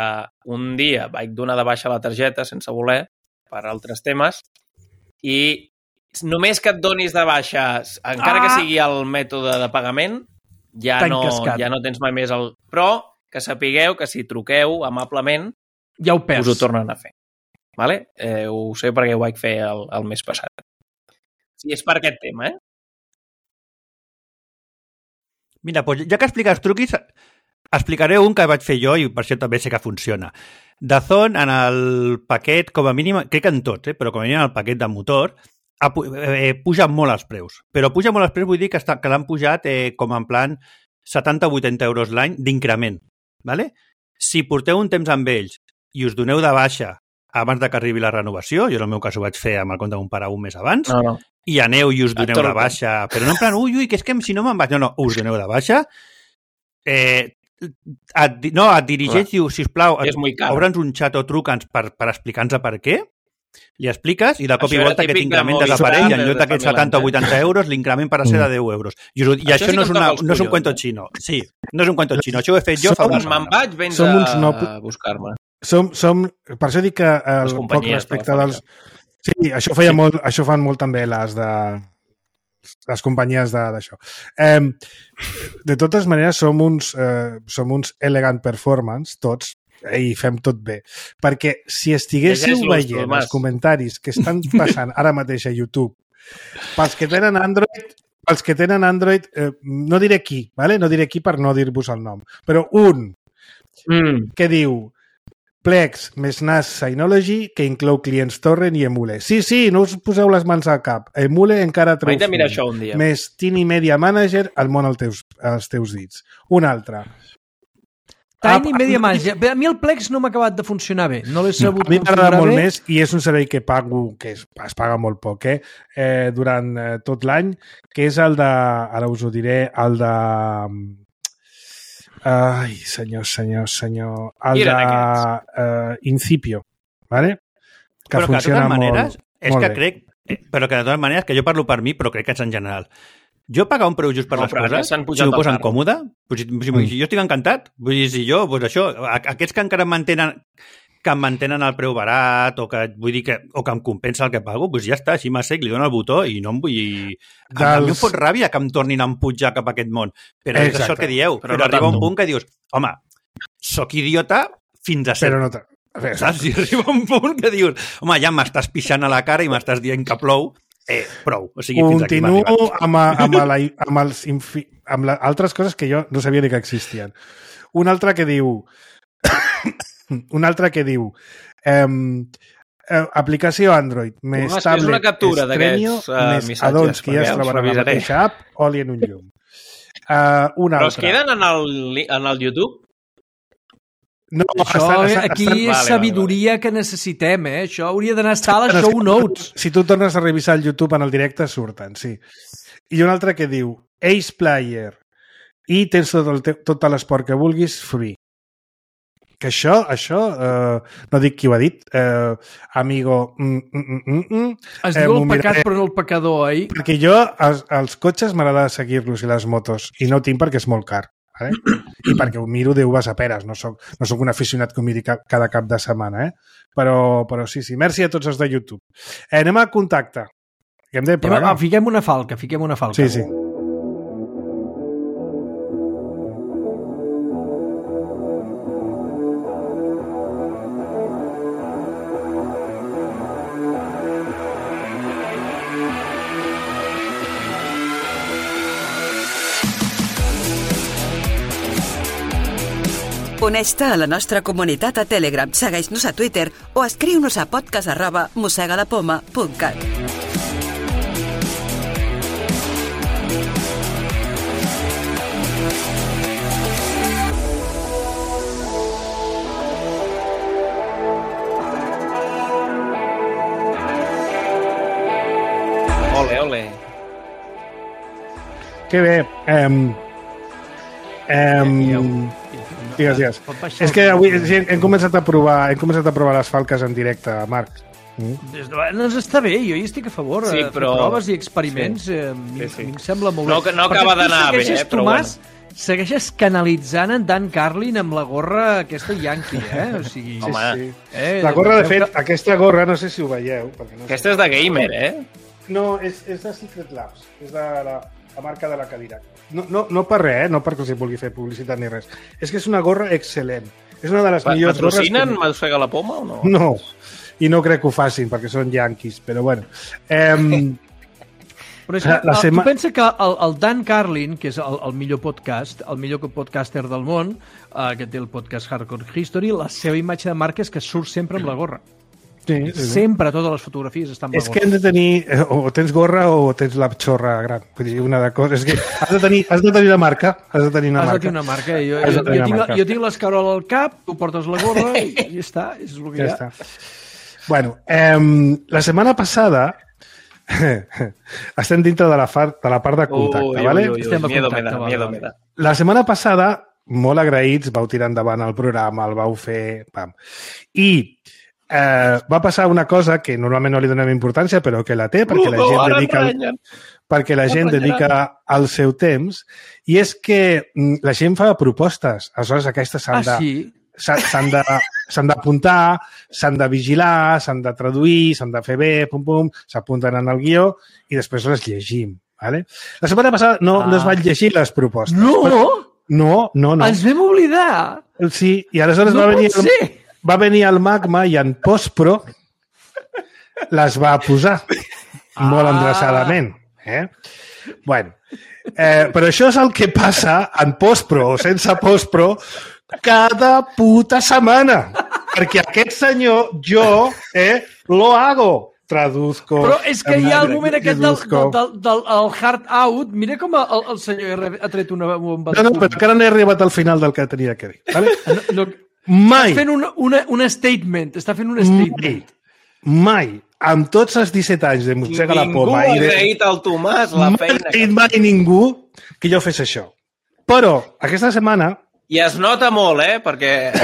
un dia vaig donar de baixa la targeta sense voler per altres temes i només que et donis de baixa, encara que sigui el mètode de pagament, ja no tens mai més el... Però que sapigueu que si truqueu amablement ja ho perds. Us ho tornen a fer. Vale? Ho sé perquè ho vaig fer el mes passat. Sí, és per aquest tema, Mira, doncs ja que expliques truquis, explicaré un que vaig fer jo i per això també sé que funciona. Dazón, en el paquet, com a mínim, crec que en tots, però com a mínim en el paquet de motor, puja molt els preus. Però puja molt els preus vull dir que l'han pujat com en plan 70 o 80 euros l'any d'increment. ¿Vale? Si porteu un temps amb ells i us doneu de baixa abans de que arribi la renovació, jo en el meu cas ho vaig fer amb el compte d'un pare un mes abans, i aneu i us doneu de baixa, però no en plan, ui, que és que si no me'n vaig, no, us doneu de baixa, et dirigeix, diu, sisplau, obre'ns un xat o truca'ns per explicar-nos per què, li expliques i de cop i volta aquest increment desapareix i en lloc d'aquests 70 o 80 euros l'increment para ser de 10 euros. I això no és un cuento xino. Sí, no és un cuento xino. Això ho he fet jo fa una setmana. Me'n vaig, vens a buscar-me. Per això dic que el poc respecte dels... Sí, això fan molt també les companyies d'això. De totes maneres, som uns elegant performance, tots, i fem tot bé. Perquè si estiguéssiu veient els comentaris que estan passant ara mateix a YouTube, pels que tenen Android, no diré qui, ¿vale? No diré qui per no dir-vos el nom, però un que diu Plex més NAS Synology, que inclou clients Torrent i Emule. Sí, no us poseu les mans al cap. Emule encara treu més Tiny Media Manager al món als teus dits. Un altre. Tiny Media Manager. A mi el Plex no m'ha acabat de funcionar bé. No l'he sabut configurar bé. A mi m'agrada molt més i és un servei que pago, que es paga molt poc, durant tot l'any, que és el de, ara us ho diré, el de... Ai, senyor. El de Incipio, ¿vale? Que però funciona que de totes maneres, molt que bé. crec, però que de totes maneres, que jo parlo per mi, però crec que és en general. Jo pagar un preu just per les coses, si m'ho posen còmode, si jo estic encantat, vull dir, si jo, doncs això, aquests que encara em mantenen el preu barat, o que vull dir o que em compensa el que pago, doncs ja està, així m'assec, li dono el botó i no em vull... A mi em fot ràbia que em tornin a empujar cap a aquest món. Però és això el que dieu. Però arriba un punt que dius, home, sóc idiota fins a ser. Però no saps? Si arriba un punt que dius, home, ja m'estàs pixant a la cara i m'estàs dient que plou, prou. O sigui, continuo amb altres coses que jo no sabia ni que existien. Un altre que diu aplicació Android més tablet Estrenio més addons que ja es troben a la mateixa app, oli en un llum. Però es queden en el YouTube? No, aquí és sabidoria que necessitem, Això hauria d'anar a estar a les show notes. Si tu tornes a revisar el YouTube en el directe, surten, sí. I un altre que diu Ace Player i tens tot l'esport que vulguis free. Que això no dic qui ho ha dit, amigo... Es diu el pecat però no el pecador, Perquè jo, els cotxes m'agrada seguir-los i les motos, i no tinc perquè és molt car. I perquè ho miro Déu vas a peres, no soc un aficionat que ho miri cada cap de setmana, però sí, merci a tots els de YouTube. Anem a contacte. Fiquem una falca. Sí. Uneix-te a la nostra comunitat a Telegram, segueix-nos a Twitter o escriu-nos a podcast@mossegalapoma.cat. Ole, ole. Que bé. Digues. És que avui hem començat a provar les falques en directe, Marc. Doncs està bé, jo hi estic a favor. Sí, però... Fer proves i experiments sí. A mi em sembla molt bé. No acaba d'anar bé, però bueno. Segueixes canalitzant en Dan Carlin amb la gorra aquesta Yankee, O sigui, sí. La gorra, de fet, aquesta gorra, no sé si ho veieu. No aquesta és de gamer, No, és de Secret Labs. És de la marca de la cadira. No per res, no perquè els hi vulgui fer publicitat ni res. És que és una gorra excel·lent. És una de les millors gorres... Patrocinen Mossega la Poma o no? No, i no crec que ho facin, perquè són yanquis, però bueno. Però és que, tu pensa que el Dan Carlin, que és el millor podcast, el millor podcaster del món, que té el podcast Hardcore History, la seva imatge de marca és que surt sempre amb la gorra. Sí. Sempre totes les fotografies estan amb la gorra. És que hem de tenir, o tens gorra o tens la xorra gran. Vull dir, una de coses. És que has de tenir la marca. Has de tenir una marca. Jo tinc l'escarola al cap, tu portes la gorra i ja està. És el que hi ha. Bueno, la setmana passada estem dintre de la part de contacte, ¿vale? Estem a contacte. La setmana passada, molt agraïts, vau tirar endavant el programa, el vau fer... I va passar una cosa que normalment no li donem importància, però que la té, perquè la gent dedica el seu temps, i és que la gent fa propostes. Aleshores, aquestes s'han d'apuntar, s'han de vigilar, s'han de traduir, s'han de fer bé, s'apunten en el guió i després les llegim. Vale? La setmana passada no es van llegir les propostes. No. Ens vam oblidar. Sí, i aleshores va venir el Magma i en postpro les va posar molt endreçadament. Bueno, però això és el que passa en postpro o sense postpro cada puta setmana. Perquè aquest senyor, jo, lo hago. Traduzco. Però és que hi ha el moment aquest del hard out. Mira com el senyor ha tret una bomba. No, però encara no he arribat al final del que tenia que dir. Vale? Mai. Està fent un statement. Està fent un statement. Mai. Amb tots els 17 anys de Mossega la Poma... Ningú ha agraït al Tomàs la feina. Mai ningú que jo fes això. Però aquesta setmana... I es nota molt, perquè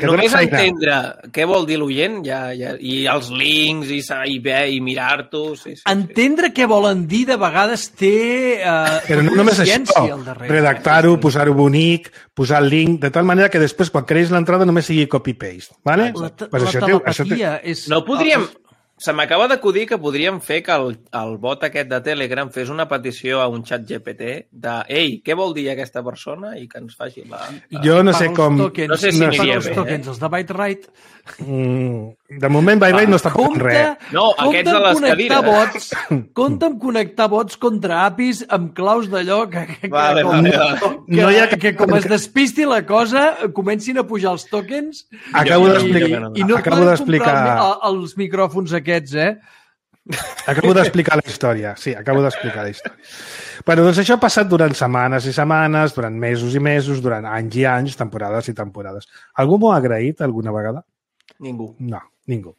només entendre què vol dir l'oient i els links i mirar-t'ho... Entendre què volen dir de vegades té però no només això, redactar-ho, posar-ho bonic, posar el link, de tal manera que després quan creïs l'entrada només sigui copy-paste. Vale? La telepatia és... No podríem... Se m'acaba d'acudir que podríem fer que el bot aquest de Telegram fes una petició a un xat GPT de ei, què vol dir aquesta persona? I que ens faci la... Jo no sé com... No sé si aniria bé. Els de ByteWrite... De moment ByteWrite no està fent res. No, aquests de les cadires. Compte amb connectar bots contra APIs amb claus d'allò que com es despisti la cosa, comencin a pujar els tokens acabo d'explicar i no poden comprar els micròfons aquests, Acabo d'explicar la història. Sí, acabo d'explicar la història. Bueno, doncs això ha passat durant setmanes i setmanes, durant mesos i mesos, durant anys i anys, temporades i temporades. Algú m'ho ha agraït alguna vegada? Ningú. No, ningú.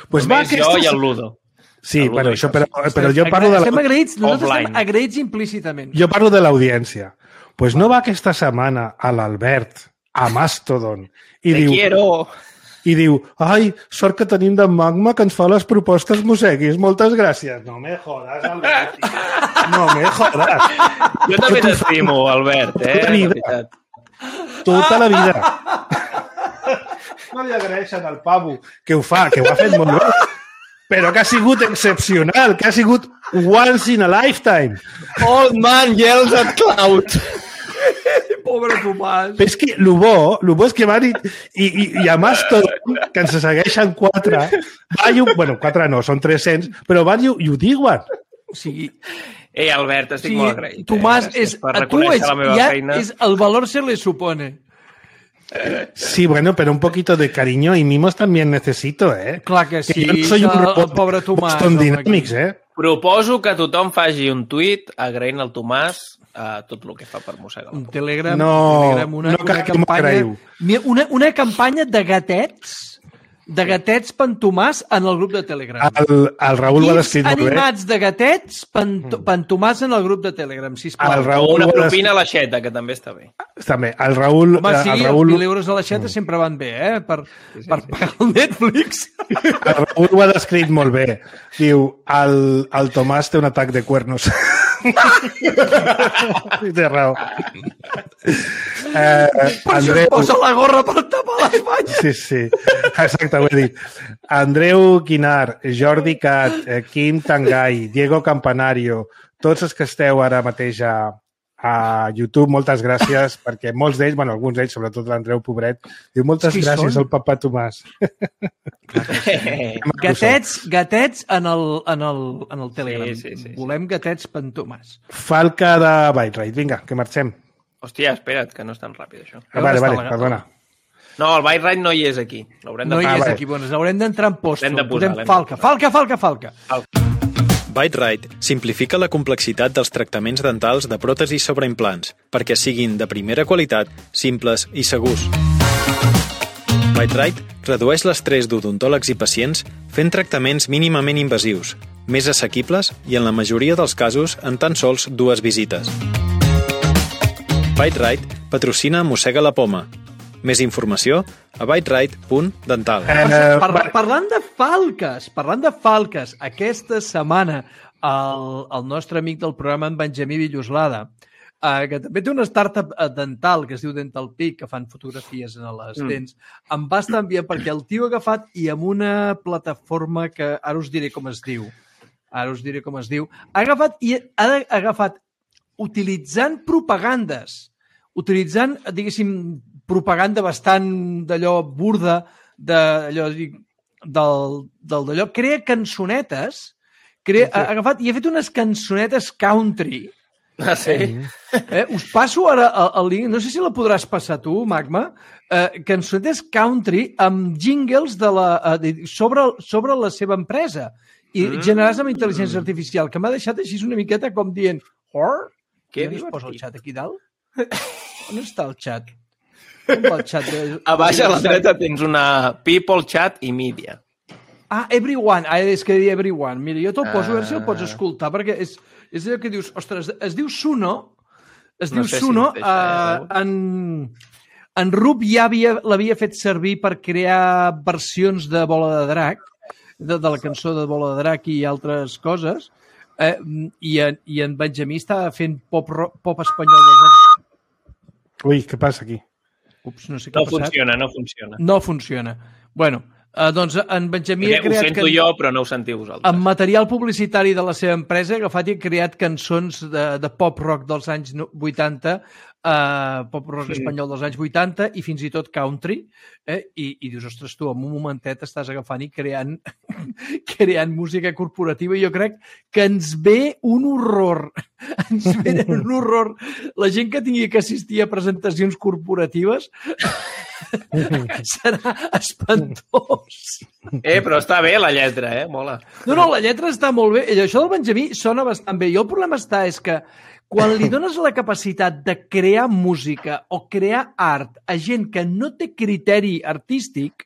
Pues només jo i el Ludo. Sí, bueno, això, però jo parlo de... Estem agraïts, nosaltres estem agraïts implícitament. Jo parlo de l'audiència. Pues no va aquesta setmana a l'Albert, a Mastodon, i diu, ai, sort que tenim d'en Magma que ens fa les propostes Mosseguis. Moltes gràcies. No me jodas, Albert. No me jodas. Jo també t'estimo, Albert, Tota la vida. No li agraeixen al pavo que ho ha fet molt bé, però que ha sigut excepcional, que ha sigut once in a lifetime. Old man yells at cloud. Pobre Tomàs. Però és que el bo és que van i a Mastodon, que ens segueixen 4, bueno, 4 no, són 300, però van i ho diuen. O sigui... Albert, estic molt agraït. Tomàs, a tu és el valor se le supone. Sí, bueno, pero un poquito de cariño y mimos también necesito, ¿eh? Clar que sí, yo no soy un el robot pobre Tomàs. Boston home, Dynamics, aquí. ¿eh? Proposo que tothom faci un tuit agraint al Tomàs tot el que fa per mossegar la Un popa. Telegram, No, un Telegram, no cal que m'ho agraïu. una campanya de gatets per en Tomàs en el grup de Telegram. El Raül ho ha descrit molt bé. Animats de gatets per en Tomàs en el grup de Telegram, sisplau. El O Raül una ho ha propina a l'aixeta, que també està bé. També, el Raül... Home, sí, el els Raül, 1.000 euros a l'aixeta sempre van bé, per pagar el Netflix. el Raül ho ha descrit molt bé. Diu, el Tomàs té un atac de cuernos. Sí, té raó. Per això es posa la gorra per tapar l'Espanya. Sí, sí, exacte, ho he dit. Andreu Quinar, Jordi Cat, Quim Tangai, Diego Campanario, tots els que esteu ara mateix a YouTube, moltes gràcies, perquè molts d'ells, bueno, alguns d'ells, sobretot l'Andreu Pobret, diu moltes gràcies al papa Tomàs. Gatets en el Telegram. Sí. Volem gatets per en Tomàs. Falca de Byte-Rite, vinga, que marxem. Hòstia, espera't, que no és tan ràpid, això. Vale, perdona. No, el Byte Ride no hi és aquí. L'haurem de No hi és vale. aquí, bueno, haurem d'entrar en posto. L'hem de posar, Podem Falca. ByteRite simplifica la complexitat dels tractaments dentals de pròtesis sobre implants perquè siguin de primera qualitat, simples i segurs. ByteRite redueix l'estrès d'odontòlegs i pacients fent tractaments mínimament invasius, més assequibles i en la majoria dels casos en tan sols 2 visites. ByteRite patrocina Mossega la Poma. Més informació a byterite.dental. Parlant de falques, aquesta setmana el nostre amic del programa, en Benjamí Villoslada, que també té una startup dental que es diu Dental Peak, que fan fotografies en les dents, em va estar enviant perquè el tio ha agafat i amb una plataforma que ara us diré com es diu, ha agafat utilitzant propagandes, diguéssim, propaganda bastant d'allò burda, d'allò, crea cançonetes, ha agafat i ha fet unes cançonetes country. Ah, sí? Us passo ara el link, no sé si la podràs passar tu, Magma, cançonetes country amb jingles sobre la seva empresa i generats amb intel·ligència artificial, que m'ha deixat així una miqueta com dient què es posa el xat aquí dalt? On està el xat? On va el xat? A baix a la dreta tens una People, Chat i Media. Everyone. És que deia Everyone. Mira, jo te'l poso, a veure si el pots escoltar, perquè és allò que dius, ostres, es diu Suno, en Rup ja l'havia fet servir per crear versions de Bola de Drac, de la cançó de Bola de Drac i altres coses, i en Benjamí està fent pop espanyol dels anys. Ui, què passa aquí? Ups, no sé què ha passat. No funciona. Bueno, doncs en Benjamí ha creat... Ho sento jo, però no ho sentiu vosaltres. Amb material publicitari de la seva empresa, ha agafat i ha creat cançons de pop-rock dels anys 80, pop-rock espanyol dels anys 80 i fins i tot country, i dius, ostres, tu, en un momentet estàs agafant i creant música corporativa, i jo crec que ens ve un horror. Ens ve un horror. La gent que tingui que assistir a presentacions corporatives serà espantós. Però està bé la lletra, mola. No, la lletra està molt bé. Això del Benjamí sona bastant bé. I el problema és que quan li dones la capacitat de crear música o crear art a gent que no té criteri artístic,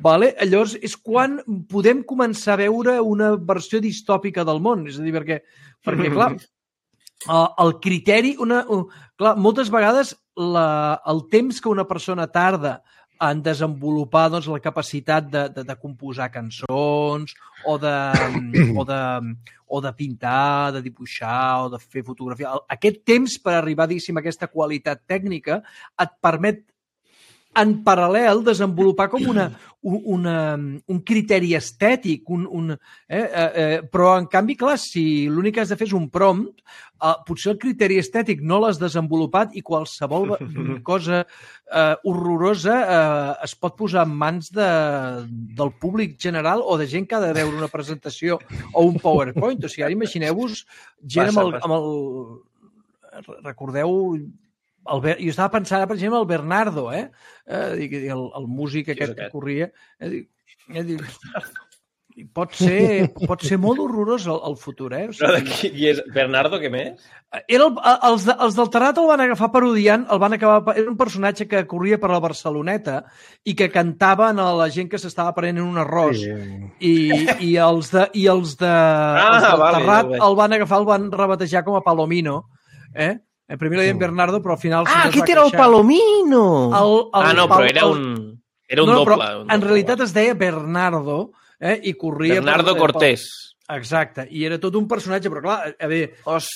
llavors és quan podem començar a veure una versió distòpica del món. És a dir, perquè clar, el criteri... Clar, moltes vegades el temps que una persona tarda en desenvolupar la capacitat de composar cançons o de pintar, de dibuixar o de fer fotografia. Aquest temps per arribar, diguéssim, a aquesta qualitat tècnica et permet en paral·lel desenvolupar com un criteri estètic, però en canvi, clar, si l'únic que has de fer és un prompt, potser el criteri estètic no l'has desenvolupat i qualsevol cosa horrorosa es pot posar en mans del públic general o de gent que ha de veure una presentació o un PowerPoint. O sigui, ara imagineu-vos gent amb el... Recordeu jo estava pensant, per exemple, el Bernardo, el músic aquest que corria. Pot ser molt horrorós el futur, O sigui, I és Bernardo, què més? Els del Terrat el van agafar parodiant, era un personatge que corria per la Barceloneta i que cantaven a la gent que s'estava prenent un arròs. I els del Terrat el van agafar, el van rebatejar com a Palomino. Primer li deien Bernardo, però al final... Aquest era el Palomino! Però era un doble. Però en realitat es deia Bernardo, i corria... Bernardo Cortés. Exacte, i era tot un personatge, però clar, a veure,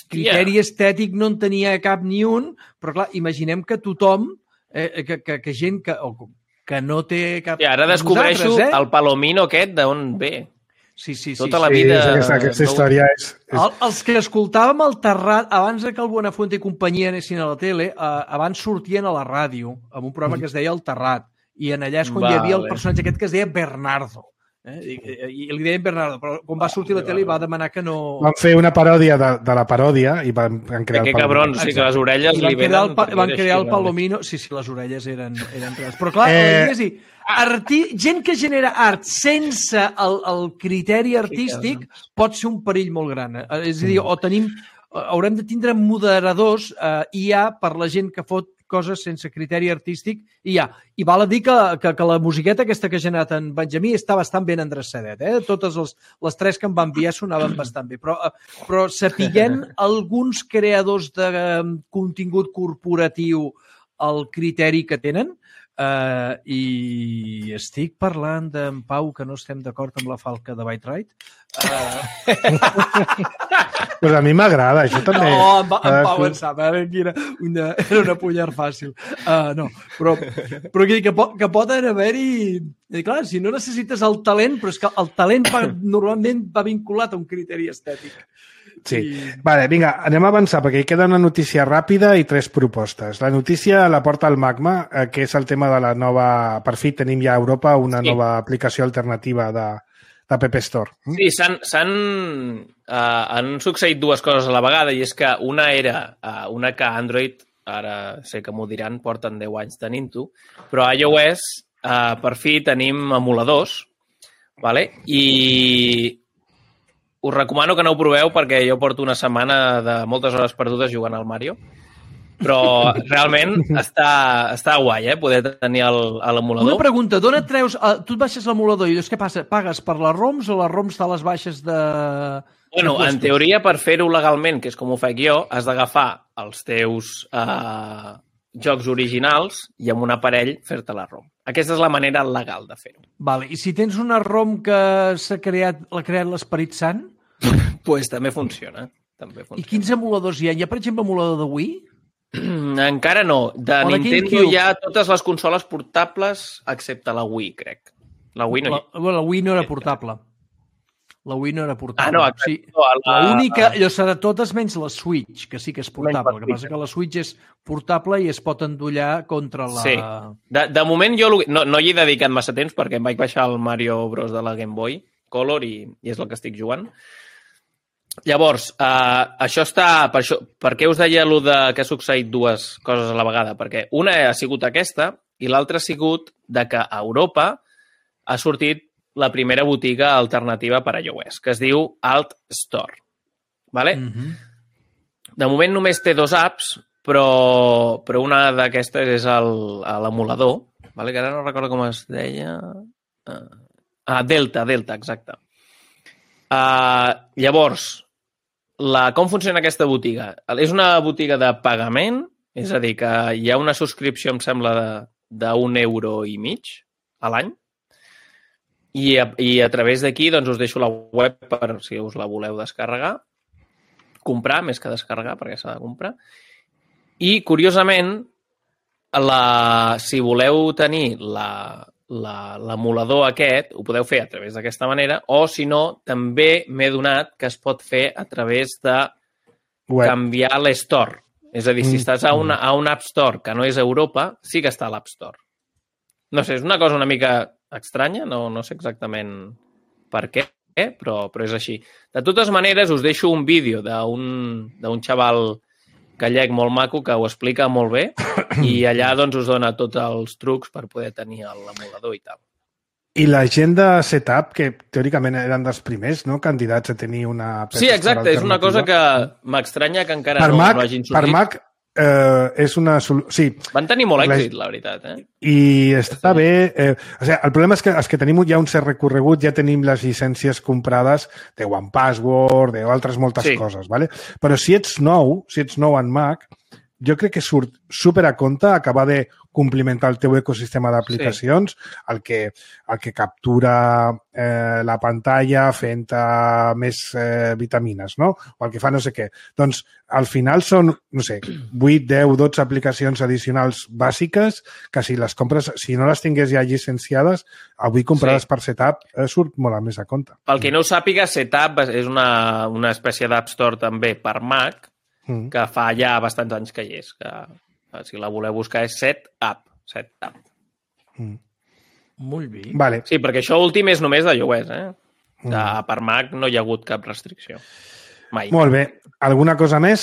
criteri estètic no en tenia cap ni un, però clar, imaginem que tothom, que gent que no té cap... I ara descobreixo el Palomino aquest d'on ve. Sí. Tota la vida... Aquesta història és... Els que escoltàvem el Terrat, abans que el Buenafuente i companyia anessin a la tele, abans sortien a la ràdio, amb un programa que es deia El Terrat, i en allà és quan hi havia el personatge aquest que es deia Bernardo. I li deien Bernardo, però quan va sortir a la tele va demanar que no... Van fer una paròdia de la paròdia i van crear el Palomino. Que cabrons, sí, que les orelles li venen... Van crear el Palomino... Sí, les orelles eren reals. Però clar, gent que genera art sense el criteri artístic pot ser un perill molt gran. És a dir, haurem de tindre moderadors IA per la gent que fot coses sense criteri artístic i I val a dir que la musiqueta aquesta que ha generat en Benjamí està bastant ben endreçadet. Totes les tres que em va enviar sonaven bastant bé. Però sapiguem alguns creadors de contingut corporatiu el criteri que tenen, i estic parlant d'en Pau que no estem d'acord amb la falca de Byte Ride. Pues a mi m'agrada, això també. No, en Pau en sap, era una punyar fàcil. Però que poden haver-hi... Clar, si no necessites el talent, però és que el talent normalment va vinculat a un criteri estètic. Sí. Vale, vinga, anem a avançar perquè hi queda una notícia ràpida i 3 propostes. La notícia la porta el Magma, que és el tema de la nova... Per fi tenim ja a Europa una nova aplicació alternativa de App Store. Sí, han succeït dues coses a la vegada, i és que una era una que Android, ara sé que m'ho diran, porten 10 anys tenint-ho, però a iOS per fi tenim emuladors, vale? I us recomano que no ho proveu perquè jo porto una setmana de moltes hores perdudes jugant al Mario, però realment està guai, poder tenir l'emulador. Una pregunta, d'on et treus... Tu et baixes l'emulador i llavors què passa? Pagues per les ROMs o les ROMs te les baixes de... Bueno, en teoria, per fer-ho legalment, que és com ho faig jo, has d'agafar els teus jocs originals i amb un aparell fer-te la ROM. Aquesta és la manera legal de fer-ho. Vale. I si tens una ROM que l'ha creat l'Esperit Sant? Pues també funciona. I quins emuladors hi ha? Hi ha, per exemple, emulador de Wii? Encara no. De Nintendo hi ha totes les consoles portables excepte la Wii, crec. La Wii no hi ha. La Wii no era portable. La Wii no era portable. No, exacte. Sí. L'única, allò serà totes menys la Switch, que sí que és portable. El que passa que la Switch és portable i es pot endollar contra la... Sí. De moment jo no hi he dedicat massa temps perquè em vaig baixar el Mario Bros de la Game Boy Color i és el que estic jugant. Llavors, això està... Per què us deia que ha succeït dues coses a la vegada? Perquè una ha sigut aquesta i l'altra ha sigut de que a Europa ha sortit la primera botiga alternativa per a iOS, que es diu Alt Store. Vale? De moment només té 2 apps, però una d'aquestes és l'emulador, vale? Que ara no recordo com es deia... Delta, exacte. Llavors, com funciona aquesta botiga? És una botiga de pagament, és a dir, que hi ha una subscripció, em sembla, d'1,50 € a l'any, i a través d'aquí doncs, us deixo la web per si us la voleu descarregar, comprar, més que descarregar, perquè s'ha de comprar. I, curiosament, si voleu tenir l'emulador aquest, ho podeu fer a través d'aquesta manera, o, si no, també m'he donat que es pot fer a través de canviar l'Store. És a dir, si estàs a un App Store que no és Europa, sí que està a l'App Store. No sé, és una cosa una mica estranya, no sé exactament per què, però és així. De totes maneres, us deixo un vídeo d'un xaval gallec molt maco que ho explica molt bé i allà doncs us dona tots els trucs per poder tenir l'emulador i tal. I la gent de Setup, que teòricament eren dels primers, no?, candidats a tenir una... Sí, exacte, és una cosa que m'estranya que encara no hagin sortit. Per Mac és una... Sí. Van tenir molt èxit, la veritat, I està bé... O sigui, el problema és que els que tenim ja un cert recorregut ja tenim les llicències comprades de OnePassword, d'altres moltes coses, ¿vale? Però si ets nou en Mac, jo crec que surt super a compte acabar de complementar el teu ecosistema d'aplicacions, el que captura la pantalla fent més vitamines, no? O el que fa no sé què. Doncs, al final són, no sé, 8, 10, 12 aplicacions addicionals bàsiques que si les compres, si no les tingués ja llicenciades, avui comprades per Setup surt molt més a compte. Pel que no ho sàpiga, Setup és una espècie d'App Store també per Mac, que fa ja bastants anys que hi és, que si la voleu buscar és Setup. Molt bé. Vale. Sí, perquè això últim és només de iOS, per Mac no hi ha hagut cap restricció. Mai. Molt bé. Alguna cosa més?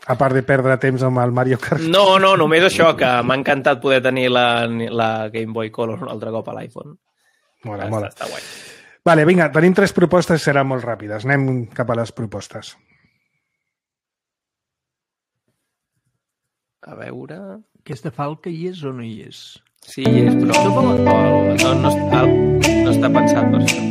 A part de perdre temps amb el Mario Kart? No, només això, que m'ha encantat poder tenir la Game Boy Color un altre cop a l'iPhone. Mola. Està guai. Vale, vinga, tenim 3 propostes, seran molt ràpides. Anem cap a les propostes. A veure... Aquesta falca hi és o no hi és? Sí, hi és, però no està pensat per això.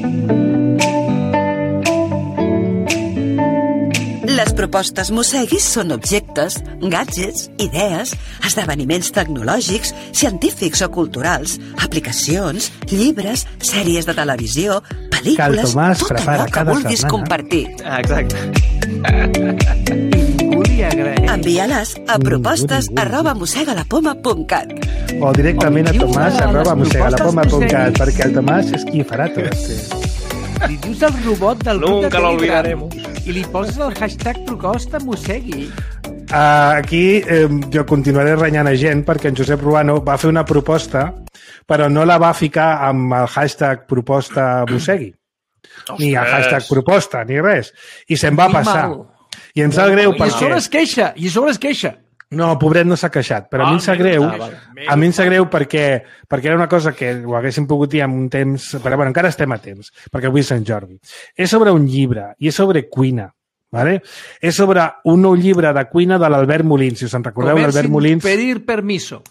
Les propostes Mosseguis són objectes, gadgets, idees, esdeveniments tecnològics, científics o culturals, aplicacions, llibres, sèries de televisió, pel·lícules, tot allò que vulguis compartir. Exacte. Envia-les a propostes@mossegalapoma.cat o directament a tomàs@mossegalapoma.cat perquè el Tomàs és qui farà tot. Li dius al robot del grup de Nunca lo olvidaremos. I li poses el hashtag proposta Mossegui. Aquí jo continuaré renyant a gent perquè en Josep Ruano va fer una proposta però no la va ficar amb el hashtag proposta Mossegui. Ni el hashtag proposta, ni res. I se'n va passar. I ens sap greu perquè... I a sobre es queixa. No, pobret no s'ha queixat, però a mi em sap greu. A mi em sap greu perquè era una cosa que ho haguéssim pogut dir en un temps... Però bueno, encara estem a temps, perquè avui és Sant Jordi. És sobre un llibre i és sobre cuina. ¿Vale? És sobre un nou llibre de cuina de l'Albert Molins. Si us en recordeu, l'Albert Molins... Pedir permiso.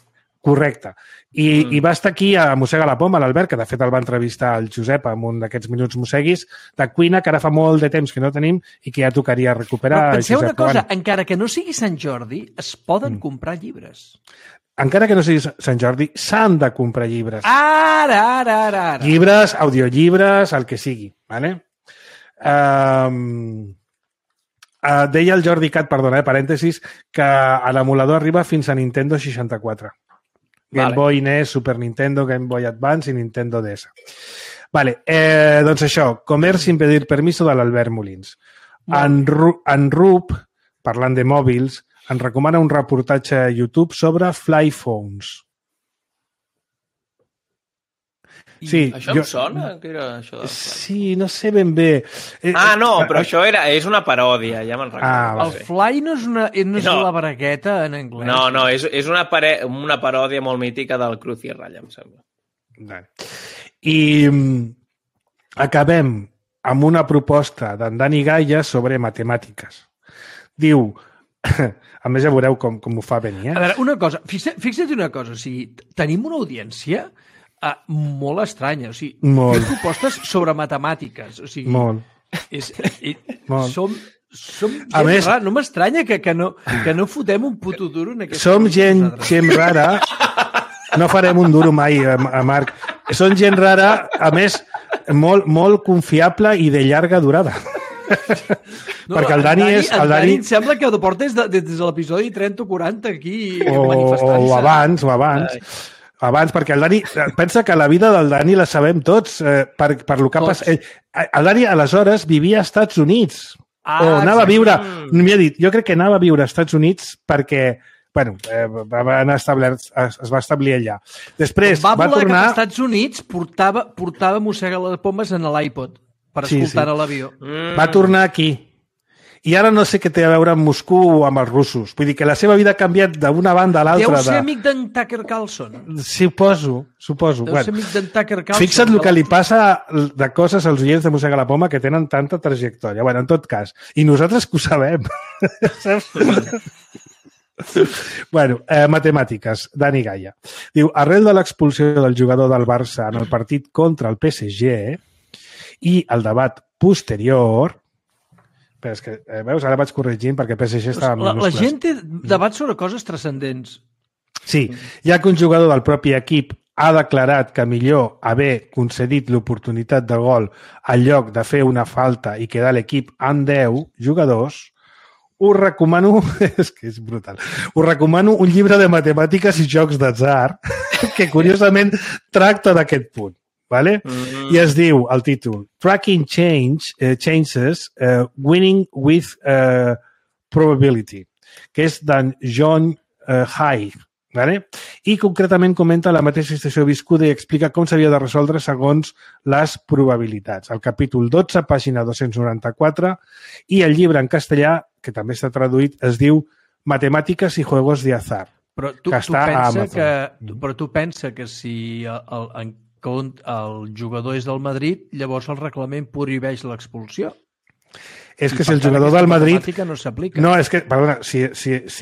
Correcte. I va estar aquí a Mossega la Poma, l'Albert, que de fet el va entrevistar el Josep en un d'aquests minuts mosseguis, de cuina, que ara fa molt de temps que no tenim i que ja tocaria recuperar. Però penseu una cosa, encara que no sigui Sant Jordi, es poden comprar llibres. Encara que no sigui Sant Jordi, s'han de comprar llibres. Ara. Llibres, audiollibres, el que sigui. Vale? Deia el Jordi Cat, perdona, parèntesis, que l'emulador arriba fins a Nintendo 64. Game Boy, NES, Super Nintendo, Game Boy Advance i Nintendo DS. Vale, doncs això, Comer sin pedir permiso de l'Albert Molins. En Rup, parlant de mòbils, ens recomana un reportatge a YouTube sobre Flyphones. Sí, això em sona? Que era això de... Sí, no sé ben bé. No, però això és una paròdia, ja me'n recordo. El Fly no és la bragueta en anglès. No, és una paròdia molt mítica del Cruz i Ratlla, em sembla. I acabem amb una proposta d'en Dani Gaia sobre matemàtiques. Diu, a més ja veureu com ho fa venir. A veure, una cosa, fixa't una cosa, o sigui, tenim una audiència molt estranya, o sigui, molt. Fem propostes sobre matemàtiques, o sigui... Molt. Molt. Som gent rara, no m'estranya que no fotem un puto duro en aquesta... Som gent rara, no farem un duro mai, Marc. Som gent rara, a més, molt confiable i de llarga durada. No, perquè el Dani és... El Dani em sembla que ho portes des de l'episodi 30 o 40 aquí manifestant-se. O abans. Abans, perquè el Dani... Pensa que la vida del Dani la sabem tots per lo que ha passat. El Dani, aleshores, vivia als Estats Units. O anava a viure... M'ha dit, jo crec que anava a viure als Estats Units perquè... Bueno, es va establir allà. Després va tornar... cap als Estats Units, portava Mossega les Pomes en l'iPod per escoltar a l'avió. Va tornar aquí. i ara no sé què té a veure amb Moscou o amb els russos. Vull dir que la seva vida ha canviat d'una banda a l'altra. Deu ser amic d'en Tucker Carlson. Suposo. Deu ser amic d'en Tucker Carlson. Fixa't el que li passa de coses als oients de Mossega la Poma que tenen tanta trajectòria. Bueno, en tot cas. I nosaltres que ho sabem. Bueno, matemàtiques, Dani Gaia. Diu, arrel de l'expulsió del jugador del Barça en el partit contra el PSG i el debat posterior... Però és que, veus, ara vaig corregint perquè PSG estava en minúscules. La gent té debats sobre coses transcendents. Sí, ja que un jugador del propi equip ha declarat que millor haver concedit l'oportunitat de gol al lloc de fer una falta i quedar l'equip amb 10 jugadors, us recomano, és que és brutal, us recomano un llibre de matemàtiques i jocs d'atzar que curiosament tracta d'aquest punt. Vale? I es diu, el títol, Tracking Changes Winning with Probability, que és d'en John Haig. Vale? I concretament comenta la mateixa situació viscuda i explica com s'havia de resoldre segons les probabilitats. El capítol 12, pàgina 294, i el llibre en castellà, que també està traduït, es diu Matemàtiques i Juegos de Azar. Però tu pensa que si el jugador és del Madrid, llavors el reglament prohibeix l'expulsió. És que si el jugador del Madrid... no s'aplica. No, és que, perdona, si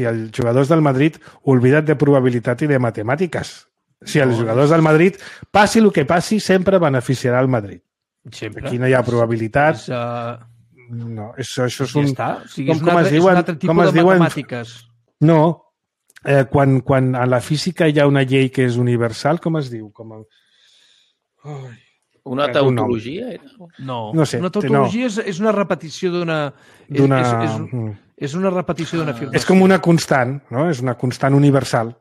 el jugador és del Madrid, oblida't de probabilitat i de matemàtiques. Si els jugadors del Madrid, passi el que passi, sempre beneficiarà el Madrid. Sempre. Aquí no hi ha probabilitat. No, això és un... Ja està. O sigui, és un altre tipus de matemàtiques. No. Quan a la física hi ha una llei que és universal, com es diu? Una tautologia? No sé, una tautologia és una repetició d'una... És una repetició d'una afirmació. És com una constant, no? És una constant universal.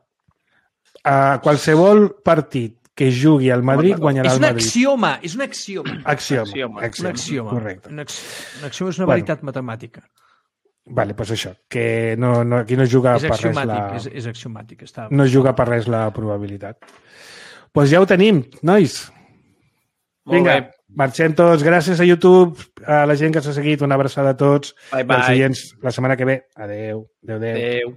Qualsevol partit que jugui al Madrid guanyarà el Madrid. És un axioma. Axioma. Correcte. Un axioma és una veritat matemàtica. Vale, doncs això, que aquí no juga per res la... És axiomàtic. No juga per res la probabilitat. Doncs ja ho tenim, nois. Vinga, marxem tots. Gràcies a YouTube, a la gent que s'ha seguit. Una abraçada a tots. Bye, bye. Els oients la setmana que ve. Adéu. Adéu.